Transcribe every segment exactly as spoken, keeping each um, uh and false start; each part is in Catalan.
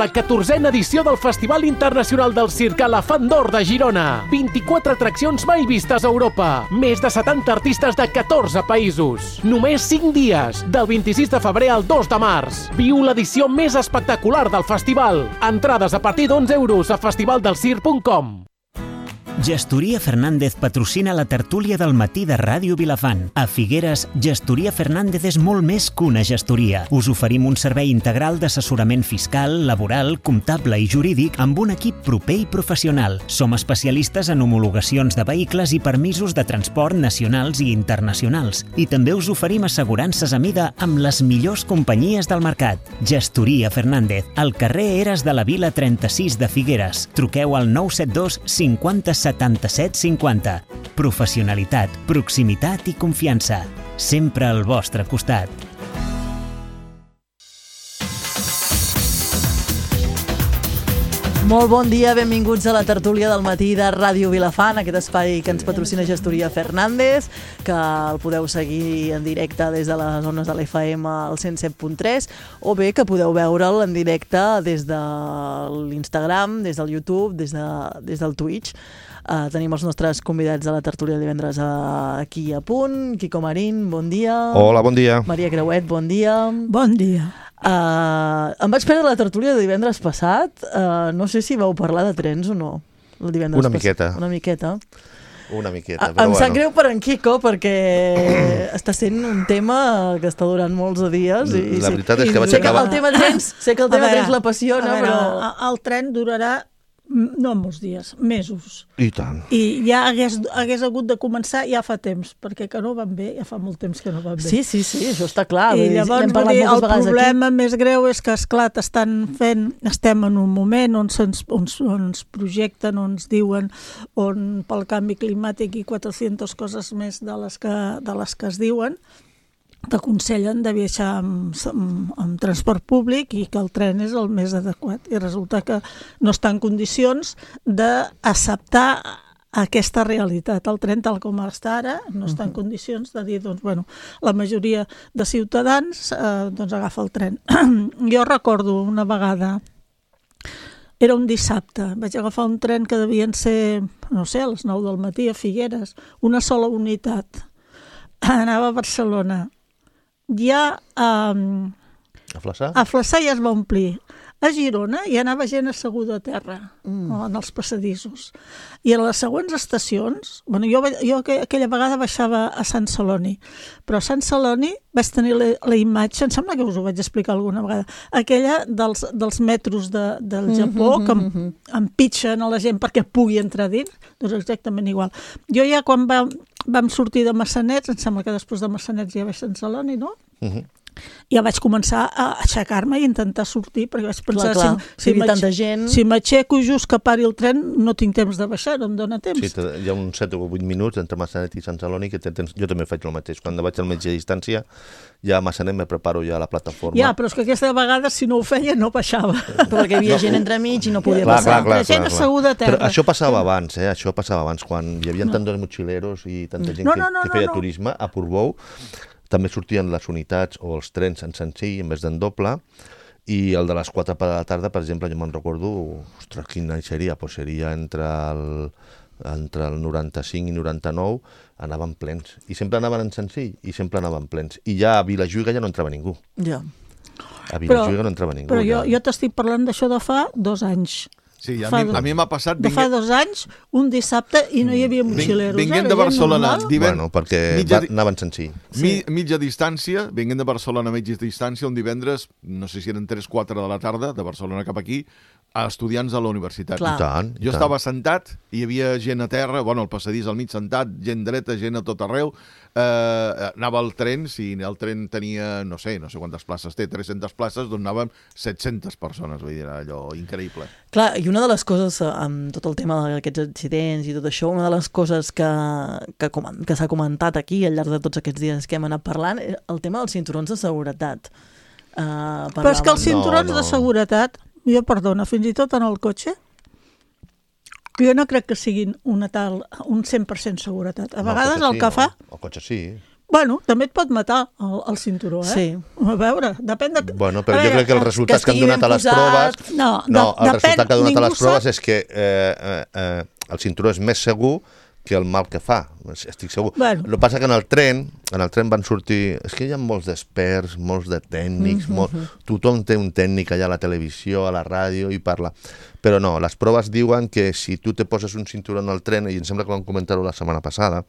La catorzena edició del Festival Internacional del Circ a la Font d'Or de Girona. vint-i-quatre atraccions mai vistes a Europa. Més de setanta artistes de catorze països. Només cinc dies, del vint-i-sis de febrer al dos de març. Viu l'edició més espectacular del festival. Entrades a partir d'onze euros a festivaldelscirc punt com. Gestoria Fernández patrocina la tertúlia del matí de Ràdio Vilafant. A Figueres, Gestoria Fernández és molt més que una gestoria. Us oferim un servei integral d'assessorament fiscal, laboral, comptable i jurídic amb un equip proper i professional. Som especialistes en homologacions de vehicles i permisos de transport nacionals i internacionals. I també us oferim assegurances a mida amb les millors companyies del mercat. Gestoria Fernández, al carrer Eres de la Vila trenta-sis de Figueres. Truqueu al nou set dos cinquanta setanta-set cinquanta. Professionalitat, proximitat i confiança. Sempre al vostre costat. Molt bon dia, benvinguts a la tertúlia del matí de Ràdio Vilafant, aquest espai que ens patrocina Gestoria Fernández, que el podeu seguir en directe des de les zones de l'F M al cent set punt tres, o bé que podeu veure'l en directe des de l'Instagram, des del YouTube, des, de, des del Twitch. Uh, tenim els nostres convidats a la tertúlia de divendres uh, aquí a punt. Quico Marín, bon dia. Hola, bon dia. Maria Creuet, bon dia. Bon dia. Uh, em vaig perdre la tertúlia de divendres passat. Uh, no sé si vau parlar de trens o no. El divendres Una pas... miqueta. Una miqueta. Una miqueta, A, però em bueno. sap greu per en Quico perquè està sent un tema que està durant molts dies. I, La i veritat sé, és que vaig sé acabar... Que el tema trens, sé que el tema veure, trens l'apassiona, veure, però... El tren durarà no molts dies, mesos. I tant. I ja hagués, hagués hagut de començar ja fa temps, perquè que no van bé, ja fa molt temps que no van bé. Sí, sí, sí, això està clar. I llavors dir, dir, el problema aquí. Més greu és que, esclar, estan fent, estem en un moment on se'ns on, on ens projecten, on ens diuen, on pel canvi climàtic i quatre-centes coses més de les que, de les que es diuen, t'aconsellen de viatjar amb, amb, amb transport públic i que el tren és el més adequat. I resulta que no està en condicions d'acceptar aquesta realitat. El tren, tal com està ara, no està en condicions de dir, doncs, bueno, la majoria de ciutadans eh, doncs agafa el tren. Jo recordo una vegada, era un dissabte, vaig agafar un tren que devien ser, no sé, a les nou del matí a Figueres, una sola unitat. Anava a Barcelona. Ja um, a Flaçà? A Flaçà ja es va omplir. A Girona ja anava gent asseguda a terra, mm. en els passadissos. I a les següents estacions, bueno, jo, jo aquella vegada baixava a Sant Celoni, però a Sant Celoni vaig tenir la, la imatge, em sembla que us ho vaig explicar alguna vegada, aquella dels, dels metros de, del Japó, mm-hmm, que mm-hmm. empitxen a la gent perquè pugui entrar dins, doncs exactament igual. Jo ja quan va, vam sortir de Massanets, em sembla que després de Massanets ja vaig a Sant Celoni, no? Mm-hmm. Ja vaig començar a aixecar-me i intentar sortir, perquè vaig pensar, clar, clar. si, si, tanta gent... si m'aixeco just que pari el tren, no tinc temps de baixar, no em dóna temps. Sí, hi ha uns set o vuit minuts entre Massanet i Sant Celoni, que tens... jo també faig el mateix. Quan vaig al metge a distància, ja a Massanet me preparo ja a la plataforma. Ja, però és que aquesta vegada, si no ho feia, no baixava. Perquè hi havia no, gent entremig i no podia clar, passar. Clar, clar, la gent clar, asseguda a terra. Però això passava abans, eh? Això passava abans, quan hi havia no. tants mochileros i tanta gent no, no, no, que, que feia no, no. turisme a Portbou. També sortien les unitats o els trens en senzill en vez d'en doble, i el de les quatre de la tarda, per exemple, jo me'n recordo, ostres, quin any seria? Pues seria entre el, entre el noranta-cinc i noranta-nou, anaven plens. I sempre anaven en senzill, i sempre anaven plens. I ja a Vilajuïga ja no entrava ningú. Ja. A Vilajuïga no entrava ningú. Però jo, ja. jo t'estic parlant d'això de fa dos anys. Sí, a mi, a mi m'ha passat... De fa dos anys, un dissabte, i no hi havia motxileros. Vinguent de Barcelona... Bueno, perquè mitja, anaven senzill. Mi, mitja distància, vinguent de Barcelona a mitja distància, un divendres, no sé si eren tres o quatre de la tarda, de Barcelona cap aquí, a estudiants de la universitat. Clar. I tant, i jo tant. estava sentat, hi havia gent a terra, bueno, al passadís al mig sentat, gent dreta, gent a tot arreu, eh, anava al tren, si el tren tenia, no sé, no sé quantes places té, tres-centes places, doncs anaven set-centes persones, vull dir, allò increïble. Clar, i una de les coses, amb tot el tema d'aquests accidents i tot això, una de les coses que, que, que s'ha comentat aquí al llarg de tots aquests dies que hem anat parlant, el tema dels cinturons de seguretat. Uh, Però és que els cinturons no, no. de seguretat, jo perdona, fins i tot en el cotxe, jo no crec que siguin una tal, un cent per cent seguretat. A vegades no, el, el que sí, fa... No. El cotxe sí. Bueno, també et pot matar el, el cinturó, eh? Sí. A veure, depèn de... Bueno, però a jo veure, crec que els resultats que, que han donat a les posat... proves... No, no de, el resultat que ha donat a les proves sap... és que eh, eh, eh, el cinturó és més segur que el mal que fa, estic segur. Bueno. El que passa que en el tren, en el tren van sortir... És que hi ha molts d'experts, molts de tècnics, mm-hmm. molt... tothom té un tècnic allà a la televisió, a la ràdio i parla. Però no, les proves diuen que si tu te poses un cinturó en el tren, i em sembla que vam comentar-ho la setmana passada,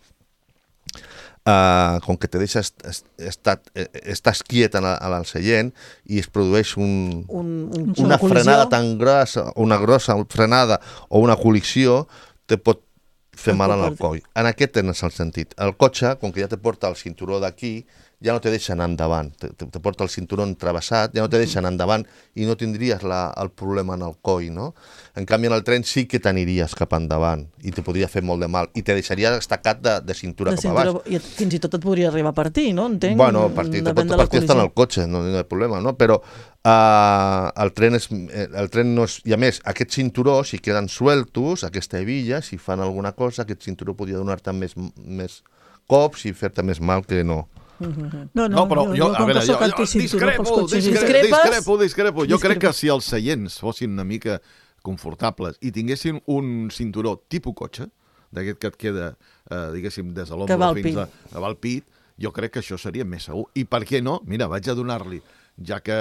Uh, com que te deixa est est estat, estàs quiet en el seient i es produeix un, un, un, una, una frenada tan grossa, una grossa frenada o una col·lisió, te pot fer mal en el coll. En aquest tens el sentit. El cotxe, com que ja te porta el cinturó d'aquí, ja no te deixa anar endavant, te, te porta el cinturó travessat, ja no te deixa anar endavant i no tindries la, el problema en el coll, no? En canvi, en el tren sí que t'aniries cap endavant i te podria fer molt de mal i te deixaria estacat de, de cintura de cap cintura, a baix. I fins i tot et podria arribar a partir, no? Entenc? Bueno, partir, te pot partir està en el cotxe, no hi ha problema, no? Però uh, el tren és, el tren no és... I a més, aquest cinturó, si queden sueltos, aquesta hebilla, si fan alguna cosa, aquest cinturó podria donar-te més, més cops i fer-te més mal que no. No, no, no, però jo, jo, jo, a veure, jo, jo discrepo, discrepo, discrepo, discrepo. Jo crec que si els seients fossin una mica confortables i tinguessin un cinturó tipus cotxe, d'aquest que et queda, eh, diguéssim, des de l'ombra fins a, a al pit, jo crec que això seria més segur. I per què no? Mira, vaig a donar-li, ja que...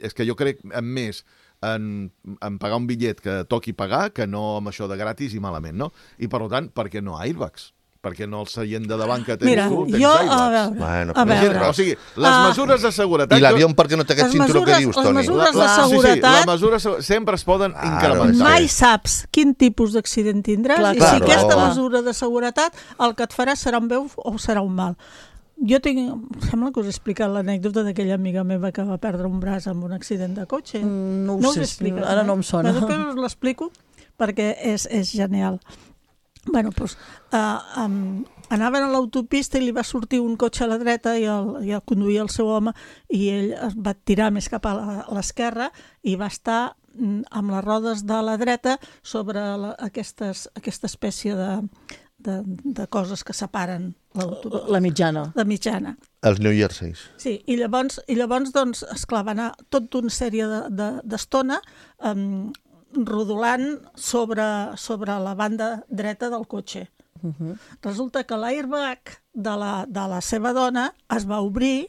És que jo crec més en, en pagar un bitllet que toqui pagar que no amb això de gratis i malament, no? I, per tant, per què no airbags? Perquè no el seient de davant que tens Mira, tu, tens jo, airbags. a veure, bueno, a veure. O sigui, les mesures de seguretat... I l'avió per què no té aquest cinturó que dius, Toni? Les mesures de la, seguretat... Sí, sí, les mesures sempre es poden Claro, incrementar. Mai saps quin tipus d'accident tindràs Clar, i clar, si aquesta clar. mesura de seguretat el que et farà serà un bé o serà un mal. Jo tinc... Sembla que us he explicat l'anècdota d'aquella amiga meva que va perdre un braç amb un accident de cotxe. Mm, no ho no sé, us he explicat, ara no em sona. Però després us l'explico perquè és, és genial. Bueno, doncs, uh, um, anaven a l'autopista i li va sortir un cotxe a la dreta i el, i el conduïa el seu home i ell es va tirar més cap a l'esquerra i va estar amb les rodes de la dreta sobre la, aquestes, aquesta espècie de, de, de coses que separen l'autopista. La mitjana. La mitjana. Els New Jerseys. Sí, i llavors, i llavors doncs, esclar, va anar tota una sèrie d'estona de, de, um, rodolant sobre, sobre la banda dreta del cotxe. Uh-huh. Resulta que l'airbag de, la, de la seva dona es va obrir,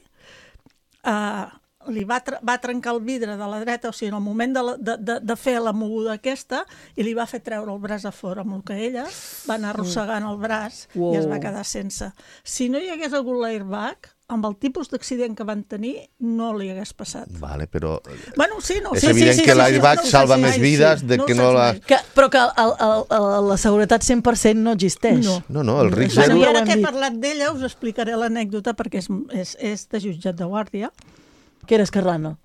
eh, li va, tra va trencar el vidre de la dreta, o sigui, en el moment de, la, de, de, de fer la moguda aquesta, i li va fer treure el braç a fora, amb el que ella va anar arrossegant el braç wow. i es va quedar sense. Si no hi hagués hagut l'airbag, amb el tipus d'accident que van tenir, no li hagués passat. Vale, però... Bueno, sí, no, és sí, evident sí, sí, que sí, l'airbag sí, no salva mai, més vides sí, de no que no la... Que, però que el, el, el, la seguretat cent per cent no existeix. No. No, no, el risc Bueno, zero... I ara que he parlat d'ella, us explicaré l'anècdota perquè és, és, és de jutjat de guàrdia. Que eres Carlano?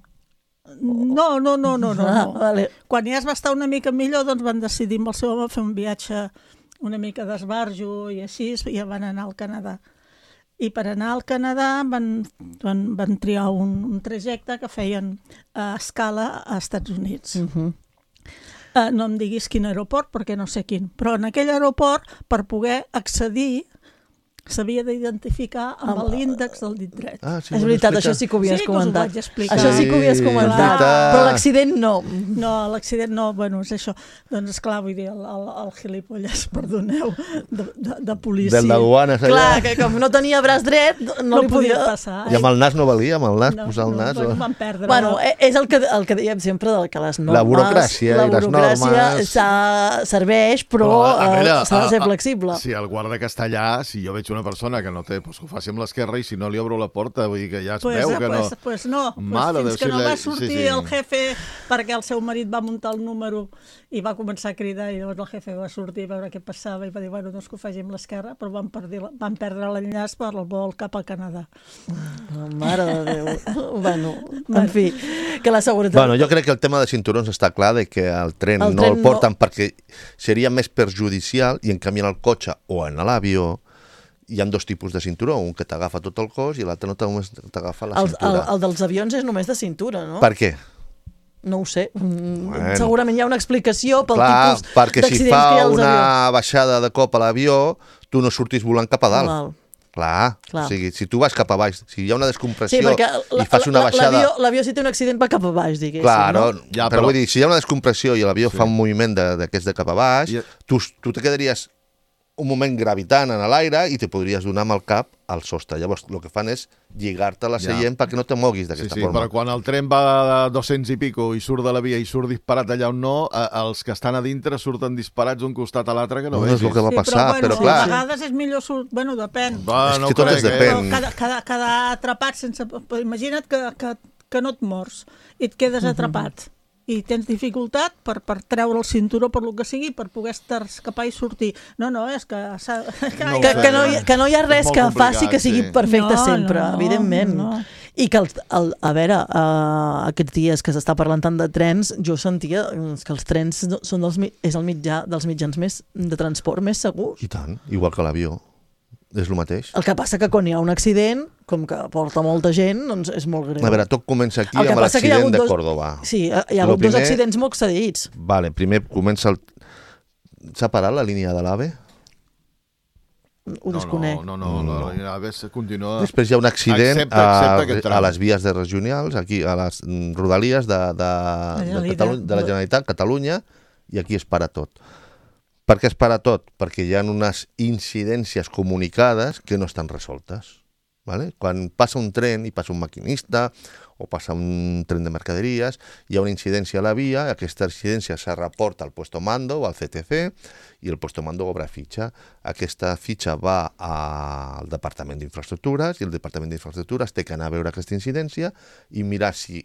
No, no, no, no, no. Ah, no. vale. Quan ja es va estar una mica millor, doncs van decidir amb el seu home fer un viatge una mica d'esbarjo i així, i van anar al Canadà. I per anar al Canadà van, van, van triar un, un trajecte que feien a escala a Estats Units. Uh-huh. Uh, no em diguis quin aeroport, perquè no sé quin, però en aquell aeroport, per poder accedir, s'havia d'identificar amb l'índex del dit dret. Ah, sí, És veritat, això sí que ho havies Sí que us ho comentat. vaig explicar. Això sí que ho havies Sí, comentat. és veritat. Però l'accident no. No, l'accident no, bueno, és això. Doncs, esclar, vull dir, el, el, el gilipolles, perdoneu, de, de, de policia. Del d'aduanes allà. Clar, que com no tenia braç dret, no, no li podia podia... passar. I amb el nas no valia, amb el nas, No, posar el no, nas... bueno, o... van perdre. Bueno, és el que, el que dèiem sempre, del que les normes... La burocràcia la i les burocràcia normes... s'ha- serveix, però, a veure, eh, s'ha de ser a- a- flexible. Si el guarda castellà, si jo veig una persona que no té, doncs que ho faci amb l'esquerra i si no li obro la porta, vull dir que ja es Pues, veu eh, que no... pues, pues no, Mare pues de fins que Déu, no sí, va sí, sortir sí. el jefe perquè el seu marit va muntar el número i va començar a cridar i llavors el jefe va sortir a veure què passava i va dir, bueno, doncs que ho faci amb l'esquerra, però van, perdir, van perdre l'enllaç per el vol cap al Canadà. Oh, mare de Déu. Bueno, en fi, que la seguretat... Bueno, jo crec que el tema de cinturons està clar de que el tren El no tren el porten no. perquè seria més perjudicial i en canvi en el cotxe o en l'avió hi ha dos tipus de cinturó, un que t'agafa tot el cos i l'altre no t'agafa la el, el, cintura. el dels avions és només de cintura, no? Per què? No ho sé. Mm, Bueno. Segurament hi ha una explicació pel Clar, tipus perquè si d'accidents fa que hi ha als una avions. baixada de cop a l'avió, tu no surtis volant cap a dalt. Val. Clar, Clar. o sigui, si tu vas cap a baix, si hi ha una descompressió Sí, perquè i fas una baixada... l'avió, l'avió si té un accident va cap a baix, diguéssim, Claro, no? Ja, però, però- vull dir, si hi ha una descompressió i l'avió Sí. fa un moviment de- d'aquests de, de cap a baix, I- tu, tu te quedaries un moment gravitant en l'aire i te podries donar amb el cap al sostre. Llavors, el que fan és lligar-te a la Ja. seient perquè no te moguis Sí, d'aquesta sí, forma. però quan el tren va a dos-cents i pico i surt de la via i surt disparat allà on no, eh, els que estan a dintre surten disparats d'un costat a l'altre que no, No, vegis. és el que va Sí, passar, però, bueno, però clar... a vegades és millor... Surt... Bueno, depèn. Va, És no que tot crec, és eh? depèn. Però cada, cada, cada atrapat sense... Imagina't que, que, que no et mors i et quedes atrapat. I tens dificultat per, per treure el cinturó, per lo que sigui, per poder escapar i sortir. No, no, és que... s'ha- que, No ho Que, sé, que, no hi, eh? que no hi ha És res molt que complicat, faci que sigui sí. perfecte No, sempre, no, evidentment. no. I que, el, el, a veure, uh, aquests dies que s'està parlant tant de trens, jo sentia que els trens no- són dels, mi- és el mitjà dels mitjans més de transport més segurs. I tant, igual que l'avió. És el mateix. El que passa que quan hi ha un accident, com que porta molta gent, doncs és molt greu. A veure, tot comença aquí El que amb passa que hi ha l'accident hagut de dos- Córdoba. Sí, hi ha Lo hagut dos primer- accidents molt excedits. Vale, primer comença el... S'ha parat la línia de l'AVE? Ho desconec. No, no, no, no, la línia AVE continua... Després hi ha un accident Excepte- excepte a, aquest tram. a les vies de regionals, aquí a les mm, rodalies de, de, de, Generalitat. Catalunya, de la Generalitat, Catalunya, i aquí es para tot. Per què es para tot? Perquè hi ha unes incidències comunicades que no estan resoltes. Vale? Quan passa un tren i passa un maquinista o passa un tren de mercaderies, hi ha una incidència a la via, aquesta incidència se reporta al puesto mando o al C T C i el puesto mando obre fitxa. Aquesta fitxa va al Departament d'Infraestructures i el Departament d'Infraestructures té que anar a veure aquesta incidència i mirar si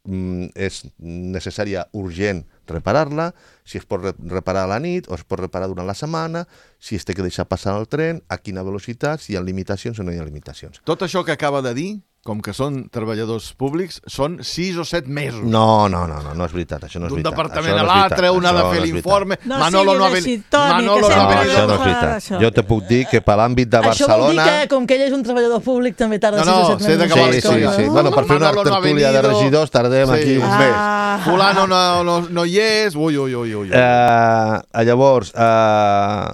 mm, és necessària urgent reparar-la, si es pot re reparar a la nit o es pot reparar durant la setmana, si es té que deixar passar el tren, a quina velocitat, si hi ha limitacions o no hi ha limitacions. Tot això que acaba de dir, com que són treballadors públics, són sis o set mesos. No, no, no, no, no és veritat, això no és D'un veritat. departament Això a no és l'altre, veritat, un ha de això fer no és l'informe, No Manolo siguis no ha així, venit... Toni, que Manolo no No, ha sempre venit... això no és fa veritat. això. Jo te puc dir que per l'àmbit de Això vol dir Barcelona... que, com que ell és un treballador públic, també tarda No, sis no, o set sé de mesos. què va la Sí, sí, història. sí. Bueno, per fer una Manolo no ha tertúlia de venido. regidors tardem Sí. aquí uns Ah. mesos. Fulano no, no, no hi és... Ui, ui, ui, ui. Uh, llavors, uh,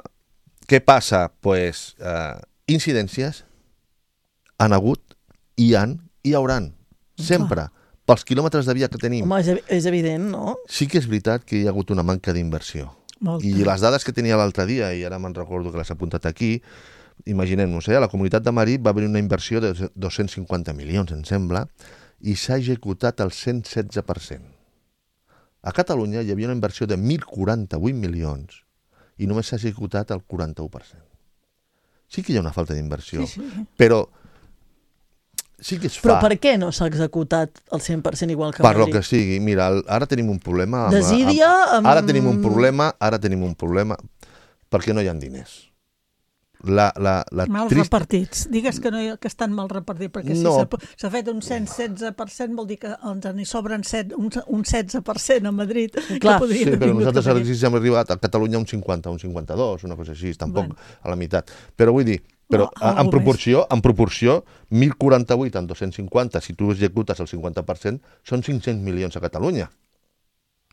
què passa? Pues, uh, incidències han hagut, hi han i hi hauran. Sempre. Pels quilòmetres de via que tenim. Home, és, evi- és evident, no? Sí que és veritat que hi ha hagut una manca d'inversió. Molta. I les dades que tenia l'altre dia, i ara me'n recordo que les he apuntat aquí, imaginem-nos, eh, a la Comunitat de Madrid va haver una inversió de dos-cents cinquanta milions, em sembla, i s'ha executat el cent setze per cent. A Catalunya hi havia una inversió de mil quaranta-vuit milions i només s'ha executat el quaranta-u per cent. Sí que hi ha una falta d'inversió, Sí, sí. però sí que es Però fa. per què no s'ha executat el cent per cent igual que Per lo Madrid? que sigui, mira, el- ara tenim un problema... Amb, Desídia, amb, amb- ara tenim un problema, ara tenim un problema, perquè no hi ha diners. La, la, la Mal trist... repartits. Digues que, no hi, que estan mal repartits, perquè No. si s'ha- s'ha fet un cent setze per cent vol dir que ens n'hi sobren set, un, un setze per cent a Madrid. Clar. que podrien Sí, haver però vingut nosaltres cap ara aquí. sí hem arribat a Catalunya un cinquanta, un cinquanta-dos, una cosa així, tampoc Bueno. a la meitat. Però vull dir, però No, a- en algú proporció, en proporció, mil quaranta-vuit en dos-cents cinquanta, si tu executes el cinquanta per cent, són cinc-cents milions a Catalunya.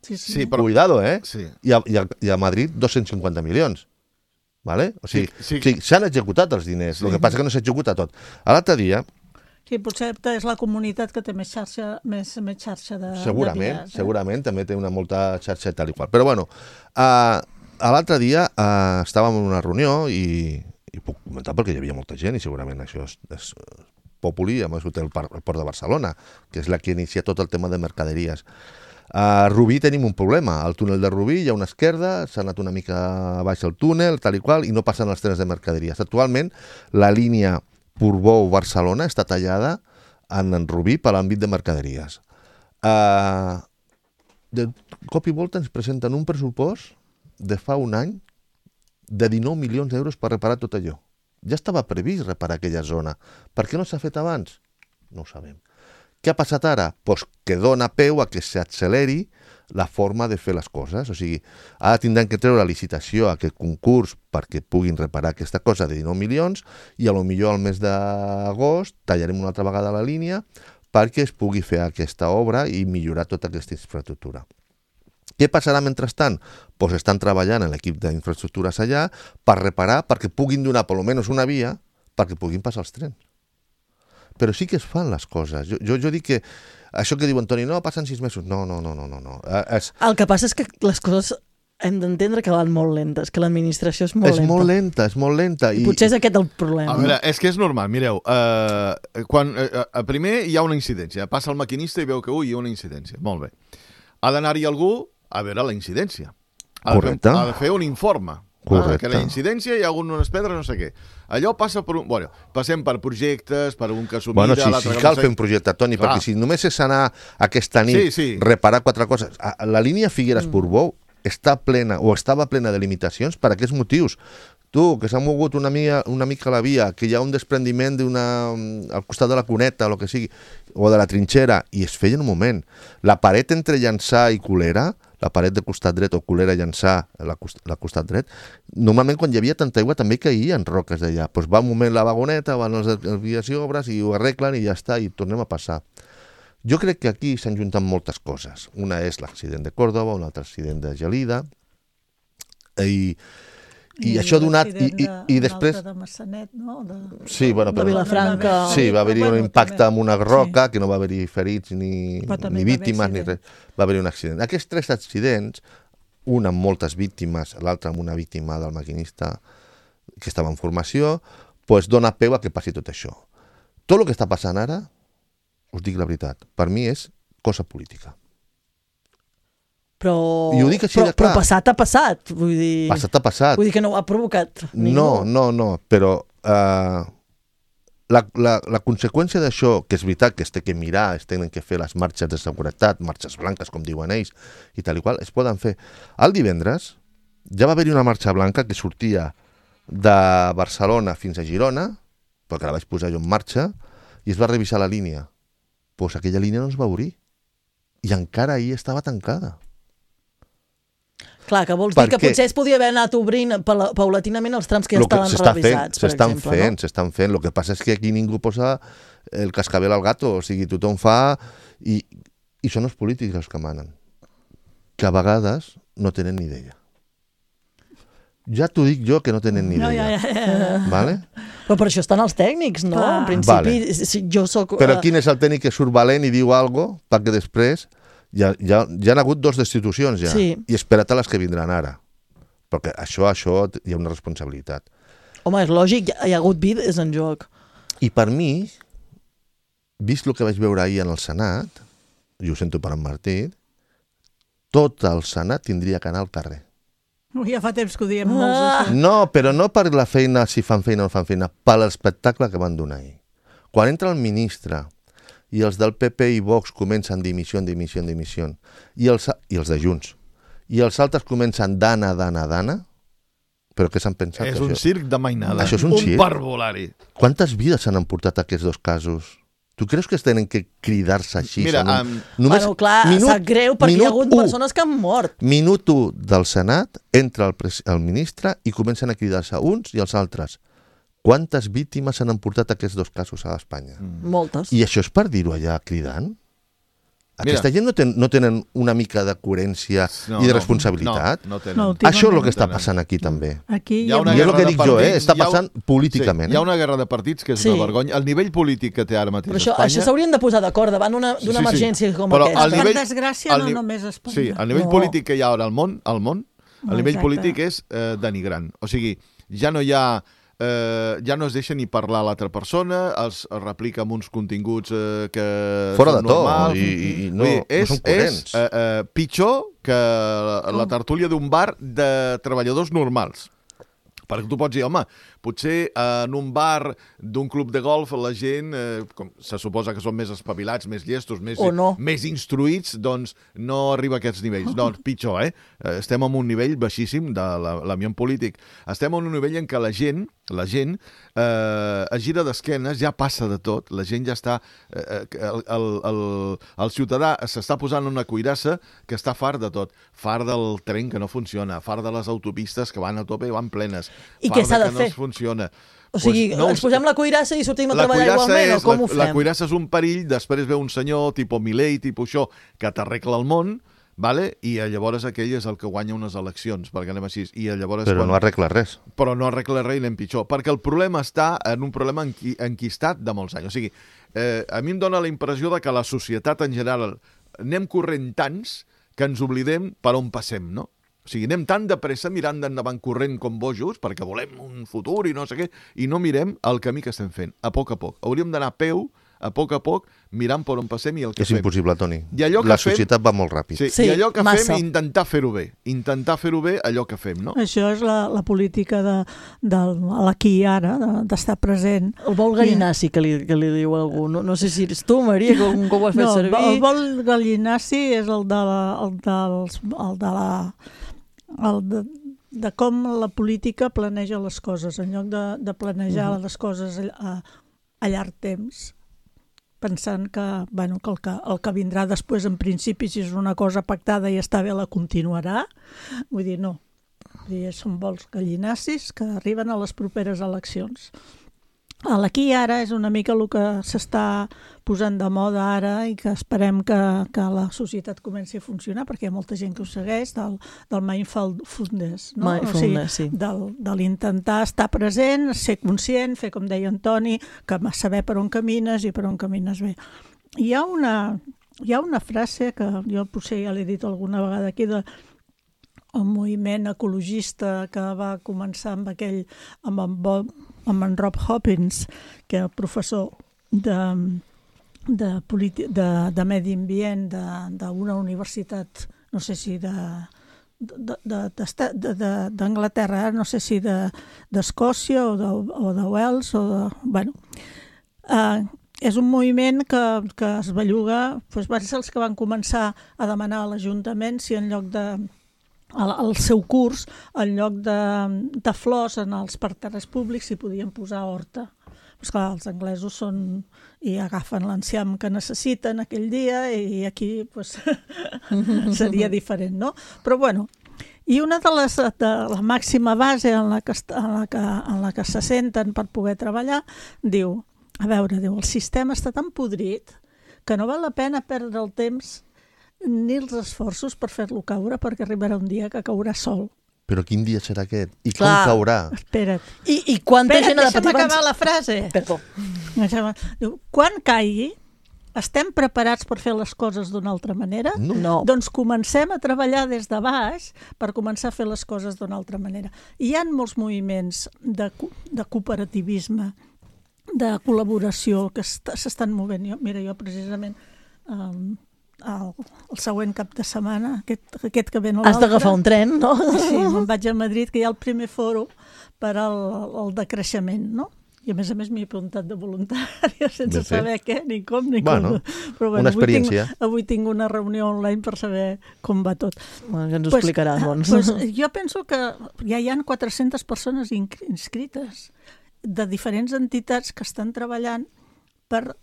Sí, sí. Sí, però... Cuidado, eh? Sí. I a, i a, i a Madrid dos-cents cinquanta milions. Vale? O sigui, Sí, sí. sí, s'han executat els diners, el que passa que no s'executa tot. A l'altre dia, Sí, potser és la comunitat que té més xarxa, més, més xarxa de, segurament, de vies, eh? segurament, també té una molta xarxa i tal i qual. Però bueno, uh, a l'altre dia uh, estàvem en una reunió i, i puc comentar perquè hi havia molta gent i segurament això és, és populi, a més ho té el, Par- el Port de Barcelona, que és la que inicia tot el tema de mercaderies. A Rubí tenim un problema. Al túnel de Rubí hi ha una esquerda, s'ha anat una mica baix el túnel, tal i qual, i no passen els trens de mercaderies. Actualment, la línia Portbou-Barcelona està tallada en, en Rubí per l'àmbit de mercaderies. Uh, de cop i volta ens presenten un pressupost de fa un any de dinou milions d'euros per reparar tot allò. Ja estava previst reparar aquella zona. Per què no s'ha fet abans? No ho sabem. Què ha passat ara? Pues que dona peu a que s'acceleri la forma de fer les coses. O sigui, ara tindran que treure la licitació a aquest concurs perquè puguin reparar aquesta cosa de dinou milions i a lo millor al mes d'agost tallarem una altra vegada la línia perquè es pugui fer aquesta obra i millorar tota aquesta infraestructura. Què passarà mentrestant? Pues estan treballant en l'equip d'infraestructures allà per reparar, perquè puguin donar per almenys una via perquè puguin passar els trens. Però sí que es fan les coses. Jo, jo, jo dic que això que diu Antoni, no, passen sis mesos. No, no, no, no, no. no. Es... El que passa és que les coses hem d'entendre que van molt lentes, que l'administració és molt és lenta. És molt lenta, és molt lenta. I, I potser és aquest el problema. A veure, és que és normal, mireu, uh, quan, uh, primer hi ha una incidència, passa el maquinista i veu que, ui, hi ha una incidència, molt bé. Ha d'anar-hi algú a veure la incidència. Ha Correcte. De, ha de fer un informe. Correcte. Ah, que la incidència hi ha hagut unes pedres, no sé què. Allò passa per un... Bueno, passem per projectes, per un que s'ho mira... Bueno, sí, sí cal fer un projecte, Toni, clar. Perquè si només és anar aquesta nit, sí, sí. reparar quatre coses... La línia Figueres-Portbou mm. està plena, o estava plena de limitacions per aquests motius. Tu, que s'ha mogut una mica, una mica la via, que hi ha un desprendiment d'una, al costat de la cuneta, o el que sigui, o de la trinxera, i es feia en un moment. La paret entre Llançà i Colera, la paret de costat dret o Colera Llançà, la, la costat dret, normalment quan hi havia tanta aigua també caïen roques d'allà. Doncs va un moment la vagoneta, van les vies i obres i ho arreglen i ja està, i tornem a passar. Jo crec que aquí s'han juntat moltes coses. Una és l'accident de Còrdova, un altre accident de Gelida, i... I, I això ha donat... I, i, i després... de Massanet, no? De, sí, bueno, però, de Vilafranca. Sí, va haver-hi un impacte amb una roca, sí. que no va haver-hi ferits ni, ni víctimes, ni res. Va haver-hi un accident. Aquests tres accidents, un amb moltes víctimes, l'altre amb una víctima del maquinista que estava en formació, doncs dona peu a que passi tot això. Tot el que està passant ara, us dic la veritat, per mi és cosa política. Però, I ho dic així però, de clar. Però passat ha passat. Vull dir... Passat ha passat. Vull dir que no ho ha provocat ningú. No, no, no, però uh, la, la, la conseqüència d'això, que és veritat que es té que mirar, es tenen que fer les marxes de seguretat, marxes blanques, com diuen ells, i tal i qual, es poden fer. El divendres ja va haver-hi una marxa blanca que sortia de Barcelona fins a Girona, perquè la vaig posar jo en marxa, i es va revisar la línia. Doncs aquella línia no es va obrir. I encara ahir estava tancada. Clar, que vols dir que potser es podia haver anat obrint paulatinament els trams que ja estaven revisats, per exemple, no? Fent, s'estan fent. El que passa és que aquí ningú posa el cascabel al gato, o sigui, tothom fa... I, i són els polítics els que manen, que a vegades no tenen ni idea. Ja t'ho dic jo que no tenen ni idea. No, ja, ja, ja. Vale? Però per això estan els tècnics, no? Ah. En principi, vale. si jo soc... Però quin és el tècnic que surt valent i diu alguna cosa perquè després... Ja, ja, ja han hagut dos destitucions ja, sí. I espera't a les que vindran ara, perquè això, això hi ha una responsabilitat. Home, és lògic, hi ha hagut vides en joc. I per mi, vist el que vaig veure ahir en el Senat, i ho sento per en Martí, tot el Senat tindria que anar al carrer. Ja fa temps que ho diem molts. Ah. No, però no per la feina, si fan feina o no fan feina, per l'espectacle que van donar ahir. Quan entra el ministre i els del P P i Vox comencen dimissió, dimissió, dimissió, i els, i els de Junts, i els altres comencen dana, dana, dana, però què s'han pensat? És un això? circ de mainada. Això és un, un circ? parvulari. Quantes vides s'han emportat aquests dos casos? Tu creus que es tenen que cridar-se així? Mira, un... um... Només... Bueno, clar, minut, sap greu perquè hi ha hagut u, persones que han mort. Minut u del Senat, entra el, pres... el ministre i comencen a cridar-se uns i els altres. Quantes víctimes s'han emportat aquests dos casos a Espanya? Mm. Moltes. I això és per dir-ho allà cridant? Aquesta Mira. gent no, ten, no tenen una mica de coherència no, i de responsabilitat? No, no, tenen. No, això és el que està passant aquí també. Aquí hi ha una I és el que dic partits, jo, eh? està passant ha, políticament. Sí, hi ha una guerra de partits que és sí. una vergonya. El nivell polític que té ara mateix Però això, Espanya... això s'haurien de posar d'acord davant d'una sí, sí, emergència sí. com Però aquesta. nivell, per desgràcia no només Espanya. Sí, el nivell no. polític que hi ha ara al món, al món el no, nivell exacte. polític és eh, denigrant. O sigui, ja no hi ha... Eh, ja no es deixa ni parlar l'altra persona, els replica amb uns continguts eh, que fora són de to normals. i, i no, dir, és, no són coherents. És eh, eh, pitjor que la, la tertúlia d'un bar de treballadors normals. Perquè tu pots dir, home, potser en un bar d'un club de golf la gent, eh, com se suposa que són més espavilats, més llestos, més, no. més instruïts, doncs no arriba a aquests nivells. No, pitjor, eh? Estem en un nivell baixíssim de l'ambient polític. Estem en un nivell en què la gent, la gent eh, es gira d'esquenes, ja passa de tot, la gent ja està... Eh, el, el, el, el ciutadà s'està posant una cuirassa que està fart de tot. Fart del tren que no funciona, fart de les autopistes que van a tope i van plenes. I què s'ha de fer? No funciona. O sigui, pues no, ens posem la cuirassa i sortim a treballar igualment, és, o com la, ho fem? La cuirassa és un perill, després ve un senyor, tipus Milei, tipus això, que t'arregla el món, vale? I llavors aquell és el que guanya unes eleccions, perquè anem així. I llavors, Però quan... no arregla res. Però no arregla res i anem pitjor, perquè el problema està en un problema enqui... enquistat de molts anys. O sigui, eh, a mi em dóna la impressió de que la societat en general anem corrent tants que ens oblidem per on passem, no? O sigui, anem tan de pressa mirant d'endavant corrent com bojos perquè volem un futur i no sé què, i no mirem el camí que estem fent, a poc a poc. Hauríem d'anar a peu, a poc a poc, mirant per on passem i el que És fem. impossible, Toni. I allò que La fem- societat va molt ràpid. Sí, Sí, i allò que massa. fem, intentar fer-ho bé. Intentar fer-ho bé, allò que fem, no? Això és la, la política de, de l'aquí i ara, de- d'estar present. El vol gallinaci, que li, que li diu algú. No, no sé si ets tu, Maria, que un cop ho has fet No, el, servir. el vol gallinaci és el de la, el dels, el de la el de, de com la política planeja les coses, en lloc de, de planejar uh -huh. les coses a, a llarg temps, pensant que, bueno, que, el que el que vindrà després, en principi, si és una cosa pactada i està bé, la continuarà. Vull dir, no. Vull dir, són vols gallinacis que arriben a les properes eleccions. L'aquí i ara és una mica el que s'està posant de moda ara i que esperem que, que la societat comenci a funcionar, perquè hi ha molta gent que ho segueix, del, del mindfulness, no? Mindfulness, sí. Del, de l'intentar estar present, ser conscient, fer com deia en Toni, que saber per on camines i per on camines bé. Hi ha una, hi ha una frase que jo potser ja l'he dit alguna vegada aquí, de el moviment ecologista que va començar amb aquell, amb en, Bob, amb en Rob Hopkins, que era professor de, de, politi- de, de medi ambient d'una universitat, no sé si de d'Anglaterra, no sé si d'Escòcia de, o, de, o de Wales, o de, bueno, uh, és un moviment que, que es belluga, doncs van ser els que van començar a demanar a l'Ajuntament si en lloc de al seu curs, en lloc de, de flors en els parterres públics, s'hi podien posar horta. Pues clar, els anglesos són i agafen l'enciam que necessiten aquell dia i aquí pues, seria diferent, no? Però bueno, i una de les de la màxima base en la, que, en, la que, en la que se senten per poder treballar, diu, a veure, diu, el sistema està tan podrit que no val la pena perdre el temps ni els esforços per fer-lo caure, perquè arribarà un dia que caurà sol. Però quin dia serà aquest? I com Clar. caurà? Espera't. I, i quanta Espera't, gent ha de deixa'm patir acabar la frase. Perdó. Diu, quan caigui, estem preparats per fer les coses d'una altra manera? No. No. Doncs comencem a treballar des de baix per començar a fer les coses d'una altra manera. I hi ha molts moviments de, co- de cooperativisme, de col·laboració que est- s'estan movent. Jo, mira, jo precisament um, el, el següent cap de setmana, aquest, aquest que ve no Has l'altre... d'agafar un tren, no? Sí, me'n vaig a Madrid, que hi ha el primer fòrum per al, al decreixement, no? I a més a més m'hi he apuntat de voluntària sense Ben fet. saber què, ni com, ni Bueno, com. Però una experiència. Avui tinc, avui tinc una reunió online per saber com va tot. Bueno, ja ens ho Pues, explicaràs, doncs. Pues, jo penso que ja hi ha quatre-centes persones inc- inscrites de diferents entitats que estan treballant per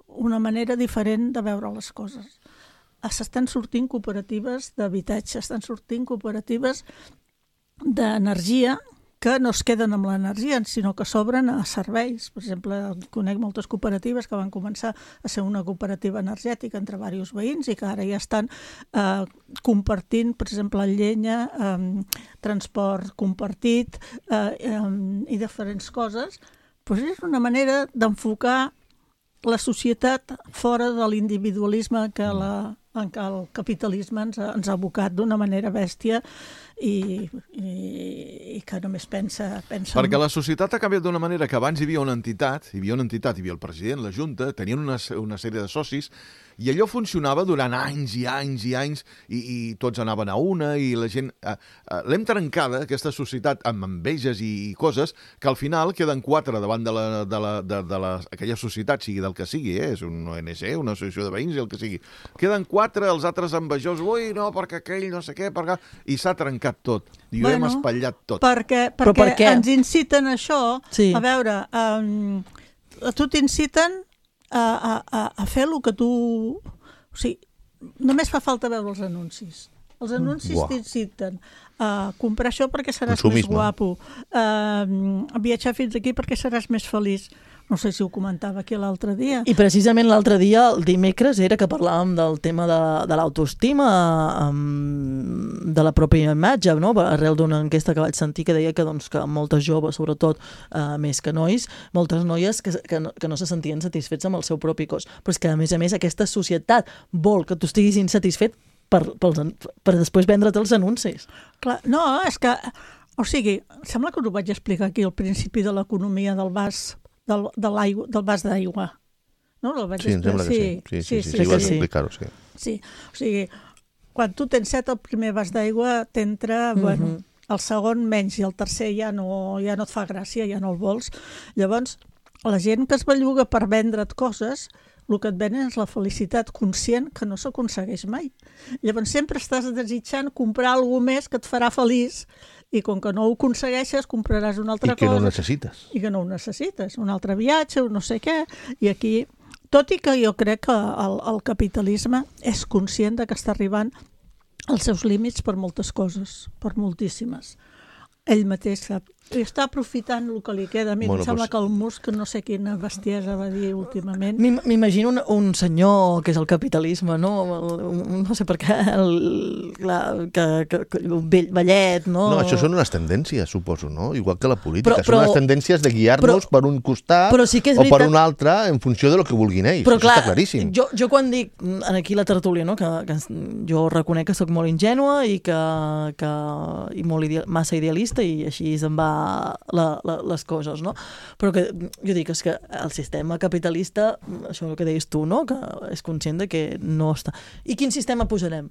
una manera diferent de veure les coses. S'estan sortint cooperatives d'habitatge, estan sortint cooperatives d'energia que no es queden amb l'energia, sinó que s'obren a serveis. Per exemple, conec moltes cooperatives que van començar a ser una cooperativa energètica entre diversos veïns i que ara ja estan eh, compartint, per exemple, llenya, eh, transport compartit eh, eh, i diferents coses. Pues és una manera d'enfocar la societat fora de l'individualisme que, la, en què el capitalisme ens ha, ens ha abocat d'una manera bèstia i, i, i que només pensa... pensa Perquè en... la societat ha canviat d'una manera que abans hi havia una entitat, hi havia una entitat, hi havia el president, la Junta, tenien una, una sèrie de socis, i allò funcionava durant anys i anys i anys, i, i tots anaven a una, i la gent... Eh, eh, L'hem trencada, aquesta societat, amb enveges i, i coses, que al final queden quatre davant de, la, de, la, de, de la, aquella societat, sigui del que sigui, eh? És un O N G, una associació de veïns, i el que sigui. Queden quatre, els altres envejosos, ui, no, perquè aquell, no sé què, perquè... I s'ha trencat tot, i ho Bueno, hem espatllat tot. Perquè, Però perquè per què? ens inciten a això, Sí. a veure, um, a tu t'inciten a, a, a, a fer el que tu... O sigui, només fa falta veure els anuncis. Els anuncis Uau. t'inciten a comprar això perquè seràs Consumisme. més guapo, a viatjar fins aquí perquè seràs més feliç. No sé si ho comentava aquí l'altre dia. I precisament l'altre dia, el dimecres, era que parlàvem del tema de, de l'autoestima, um, de la pròpia imatge, no? Arrel d'una enquesta que vaig sentir que deia que, doncs, que moltes joves, sobretot uh, més que nois, moltes noies que, que, no, que no se sentien satisfets amb el seu propi cos. Però és que, a més a més, aquesta societat vol que tu estiguis insatisfet per, per, per després vendre't els anuncis. Clar, no, és que, o sigui, sembla que us ho vaig explicar aquí al principi de l'economia del vas del, de l'aigua, del vas d'aigua. No? El vaig Sí, em sembla que sí. Sí, sí, sí, sí, sí, vas sí. explicar-ho, sí. Sí, o sigui, quan tu tens set, el primer vas d'aigua t'entra, Mhm. bueno, el segon menys i el tercer ja no, ja no et fa gràcia, ja no el vols. Llavors, la gent que es belluga per vendre't coses, el que et venen és la felicitat conscient que no s'aconsegueix mai. Llavors sempre estàs desitjant comprar alguna més que et farà feliç i com que no ho aconsegueixes compraràs una altra I que cosa. no ho necessites. I que no ho necessites. Un altre viatge, un no sé què. I aquí, tot i que jo crec que el, el capitalisme és conscient de que està arribant als seus límits per moltes coses, per moltíssimes. Ell mateix sap. I està aprofitant el que li queda. A mi Bueno, em sembla pues- que el Musk, no sé quina bestiesa va dir últimament. M'im- M'imagino un, un senyor que és el capitalisme, no? El, un, no sé per què, el, la, que, que, que, el vell, vellet, no? No, això són unes tendències, suposo, no? Igual que la política. Però- però- són unes tendències de guiar-nos per un costat però sí que és o per veritat- un altre en funció de lo que vulguin ells. Però Això clar, està claríssim. jo, jo quan dic en aquí la tertúlia, no? que, que jo reconec que sóc molt ingènua i que, que i molt idea, massa idealista i així em va la, la, les coses, no? Però que jo dic és que el sistema capitalista, això és el que deies tu, no? Que és conscient de que no està. I quin sistema posarem?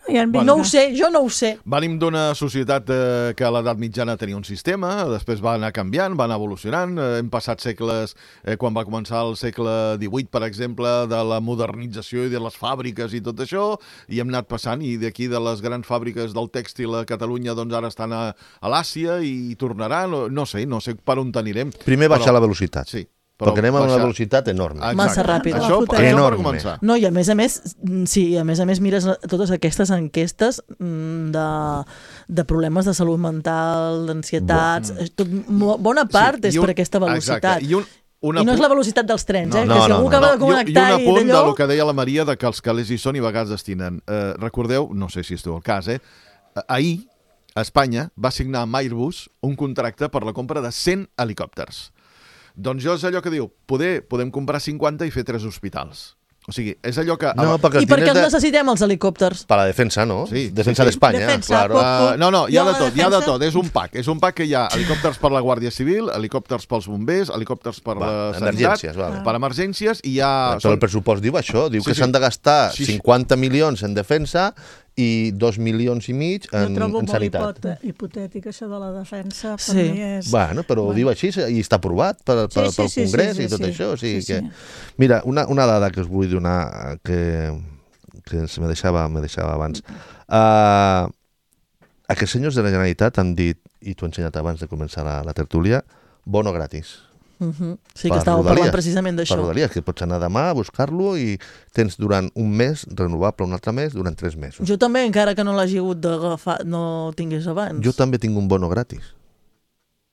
Ja en No ho sé, jo no ho sé. Venim d'una societat eh, que a l'edat mitjana tenia un sistema, després va anar canviant, va anar evolucionant, eh, hem passat segles, eh, quan va començar el segle divuit, per exemple, de la modernització i de les fàbriques i tot això, i hem anat passant, i d'aquí de les grans fàbriques del tèxtil a Catalunya, doncs ara estan a, a l'Àsia i tornaran, no, no sé, no sé per on anirem. Primer baixar però- la velocitat. Sí. Perquè anem a una baixar- velocitat enorme. Exacte. Massa ràpid. Això, això per Enorme. començar. No, i a més a més, sí, a més a més mires totes aquestes enquestes mm, de, de problemes de salut mental, d'ansietats, Bo- tot, mo- bona part Sí, és i un- per aquesta velocitat. Exacte. I, un, una I no és pu- la velocitat dels trens, No, eh? no, que si no, algú no, acaba no. de connectar I, i un apunt i d'allò... del que deia la Maria, de que els calés hi són i a vegades destinen. Eh, recordeu, no sé si esteu al cas, eh? Ahir, a Espanya, va signar amb Airbus un contracte per la compra de cent helicòpters. Doncs jo és allò que diu, poder, podem comprar cinquanta i fer tres hospitals. O sigui, és allò que... No, perquè I els per què diners els de... necessitem, els helicòpters? Per la defensa, no? Sí, defensa sí, sí. d'Espanya, Defensa, claro. poc- Uh, no, no, hi ha Hi ha de la tot, hi ha de defensa? tot. És un pack. És un pack que hi ha helicòpters per la Guàrdia Civil, helicòpters pels bombers, helicòpters per Va, la emergències, sanitat, vale. per emergències, i hi ha... Però el pressupost diu això, diu Sí, que sí. s'han de gastar Sí, sí. cinquanta milions en defensa i dos milions i mig Jo en, trobo en molt sanitat. hipot- hipotètic això de la defensa. Per Sí. mi és... Bueno, però ho diu així i està aprovat per, per, Sí, sí, pel sí, Congrés sí, sí, i tot sí. això. O sigui Sí, que... sí. Mira, una, una dada que us vull donar que, que se me deixava, me deixava abans. Uh, aquests senyors de la Generalitat han dit, i t'ho he ensenyat abans de començar la, la tertúlia, bono gratis. Uh -huh. Sí, Per que estàvem Rodalies. parlant precisament Per d'això. Rodalies, que pots anar demà a buscar-lo i tens durant un mes, renovable un altre mes, durant tres mesos. Jo també, encara que no l'hagi hagut d'agafar, no tingués abans. Jo també tinc un bono gratis.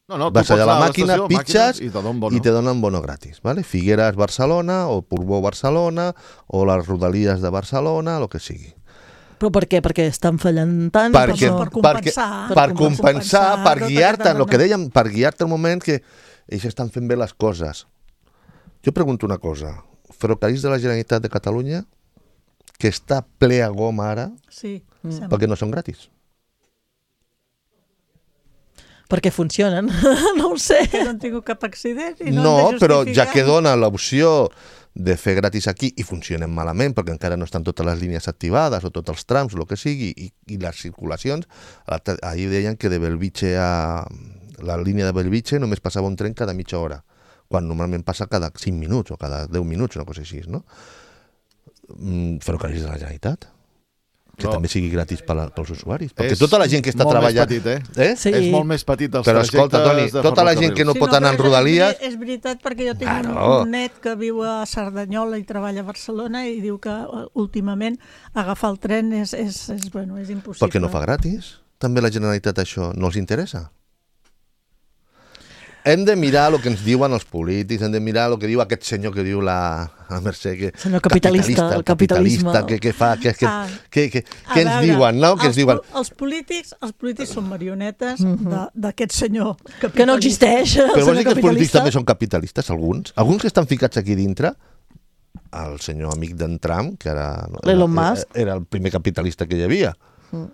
No, no, tu Vas pots allà a la anar màquina, l'estació, pitxes màquines, i te donen bono. i te donen bono gratis. ¿vale? Figueres, Barcelona, o Portbou, Barcelona, o les Rodalies de Barcelona, el que sigui. Però per què? Perquè estan fallant tant? Perquè, no... per compensar. perquè, per Per compensar, compensar per tota guiar-te, aquesta el que dona. dèiem, per guiar-te el moment que ells estan fent bé les coses. Jo pregunto una cosa. Ferrocarrils de la Generalitat de Catalunya, que està ple a goma ara, Sí, Mm. sembla. perquè no són gratis. Perquè funcionen, no ho sé. Que no han tingut cap accident i no, No, han de però justificar. ja que dona l'opció de fer gratis aquí i funcionen malament perquè encara no estan totes les línies activades o tots els trams, el que sigui, i, i les circulacions, l'altre- ahir deien que de Belvitge a la línia de Belvitge només passava un tren cada mitja hora, quan normalment passa cada cinc minuts o cada deu minuts, una cosa així, no? Mm, Ferrocarrils de la Generalitat, que No. també sigui gratis per la, pels usuaris, perquè És tota la gent que està molt més treballant... petit, eh? eh? Sí. És molt més petit els Però trajectes escolta, Toni, de tota la gent que no Sí, pot anar en però és- Rodalies... És veritat, perquè jo tinc Claro. un, un net que viu a Cerdanyola i treballa a Barcelona i diu que eh, últimament agafar el tren és, és, és, bueno, és impossible. Per què no fa gratis? També la Generalitat això no els interessa? hem de mirar el que ens diuen els polítics, hem de mirar el que diu aquest senyor que diu la, la Mercè, que senyor capitalista, el capitalisme. Que, que fa, que, que, Ah, que, que, a que ens veure, diuen, no? Que ens els, diuen... po- Els polítics, els polítics són marionetes de- d'aquest senyor capitalista. Que no existeix, el Però vols senyor dir que els polítics capitalista. també són capitalistes, alguns? Alguns que estan ficats aquí dintre, el senyor amic d'en Trump, que era, L'Elon era, Musk. era el primer capitalista que hi havia. Mm.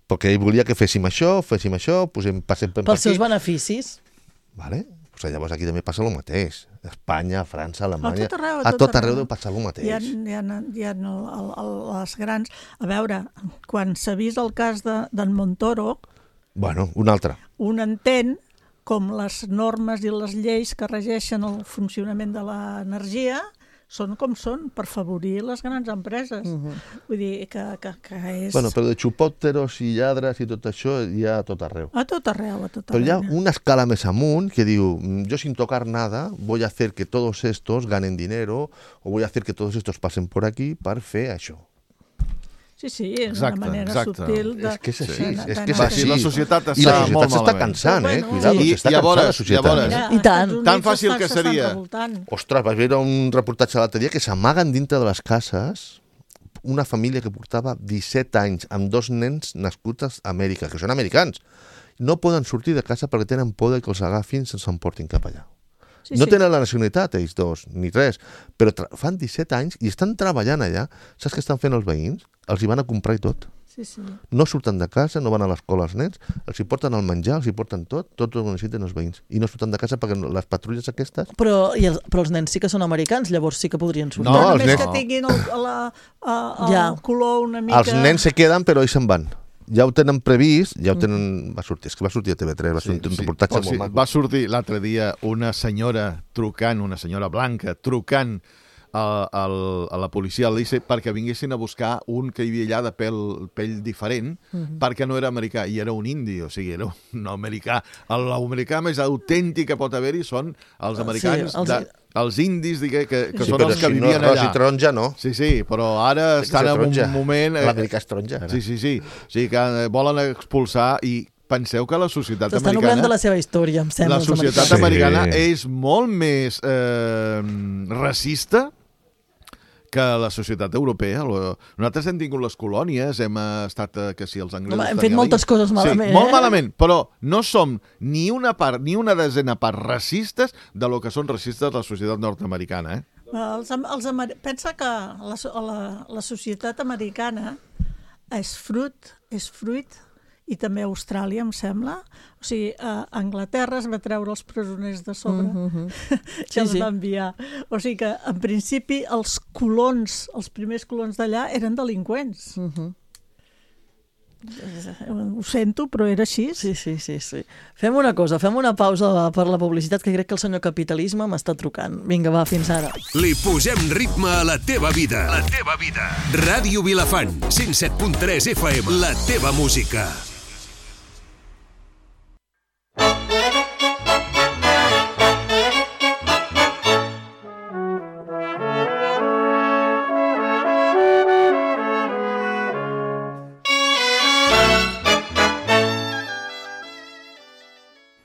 Perquè ell volia que féssim això, féssim això, posem, passem per Pels seus aquí. beneficis. Vale? Pues llavors aquí també passa el mateix. Espanya, França, Alemanya... A tot arreu, a tot arreu deu passar el mateix. Hi ha, hi ha, hi ha el, el, el, les grans... A veure, quan s'ha vist el cas de- d'en Montoro, Bueno, un altre. un entén com les normes i les lleis que regeixen el funcionament de l'energia són com són, per favorir les grans empreses. Uh-huh. Vull dir que, que, que és... Bueno, però de xupòpteros i lladres i tot això hi ha a tot arreu. A tot arreu, a tot Pero ya arreu. una escala más amunt que digo, mm, yo sin tocar nada voy a hacer que todos estos ganen dinero o voy a hacer que todos estos pasen por aquí per fer això. Sí, sí, és Exacte, una manera exacte. subtil de... És que és així, de- és de- que és de- així. Sí, la societat I la està molt societat s'està malament. cansant, eh? Però bueno, Cuidado, sí. s'està I cansant llavors- la societat. llavors- Mira, I als tant. Estats Units Tan fàcil s'estan- que s'estan seria. revoltant. Ostres, vaig veure un reportatge l'altre dia que s'amaguen dintre de les cases una família que portava disset anys amb dos nens nascuts a Amèrica, que són americans. No poden sortir de casa perquè tenen por de que els agafin i se'ns emportin cap allà. Sí, No sí. tenen la nacionalitat, ells dos, ni res, però tra- fan disset anys i estan treballant allà. Saps què estan fent els veïns? Els hi van a comprar i tot. Sí, sí. No surten de casa, no van a l'escola els nens, els hi porten el menjar, els hi porten tot, tot el que necessiten els veïns. I no surten de casa perquè no- les patrulles aquestes... Però, i els, però els nens sí que són americans, llavors sí que podrien sortir. No, Però els només nens- que tinguin el, la, el, el Ja. color una mica... Els nens se queden, però ells se'n van. Ja ho tenen previst, ja ho tenen... Va sortir, és que va sortir a T V tres, va sortir un reportatge O sigui, molt maco. va sortir l'altre dia una senyora trucant, una senyora blanca, trucant a, a, a la policia al Lice perquè vinguessin a buscar un que hi havia allà de pèl, pell diferent, uh -huh. perquè no era americà, i era un indi, o sigui, era un americà. L'americà més autèntic que pot haver-hi són els americans, Sí, els- de, els indis, digue, que, que Sí, són però els que si no vivien és ros allà. i taronja, no. Sí, sí, però ara Té que estan ser en taronja. un moment... eh, L'americà és taronja, ara. Sí, sí, sí. O sigui, que eh, volen expulsar i penseu que la societat S'estan americana... oblidant de la seva història, em sembla. La els societat americans. americana Sí. és molt més eh, racista que la societat europea. Lo- Nosaltres hem tingut les colònies, hem estat, eh, que si els anglesos... Home, hem fet tenien moltes l'Índia. coses malament, Sí, molt eh? malament, però no som ni una part, ni una desena part racistes de lo que són racistes la societat nord-americana, eh? Els, am- els, amer- pensa que la, so- la, la societat americana és fruit, és fruit, i també Austràlia, em sembla. O sigui, a Anglaterra es va treure els presoners de sobre, Mhm, mhm. que Sí, els sí. va enviar. O sigui que, en principi, els colons, els primers colons d'allà eren delinqüents. Mhm. Ho sento, però era així. Sí, sí, sí, sí. Fem una cosa, fem una pausa per la publicitat, que crec que el senyor capitalisme m'està trucant. Vinga, va, fins ara. Li posem ritme a la teva vida. La teva vida. Ràdio Vilafant, cent set punt tres F M. La teva música.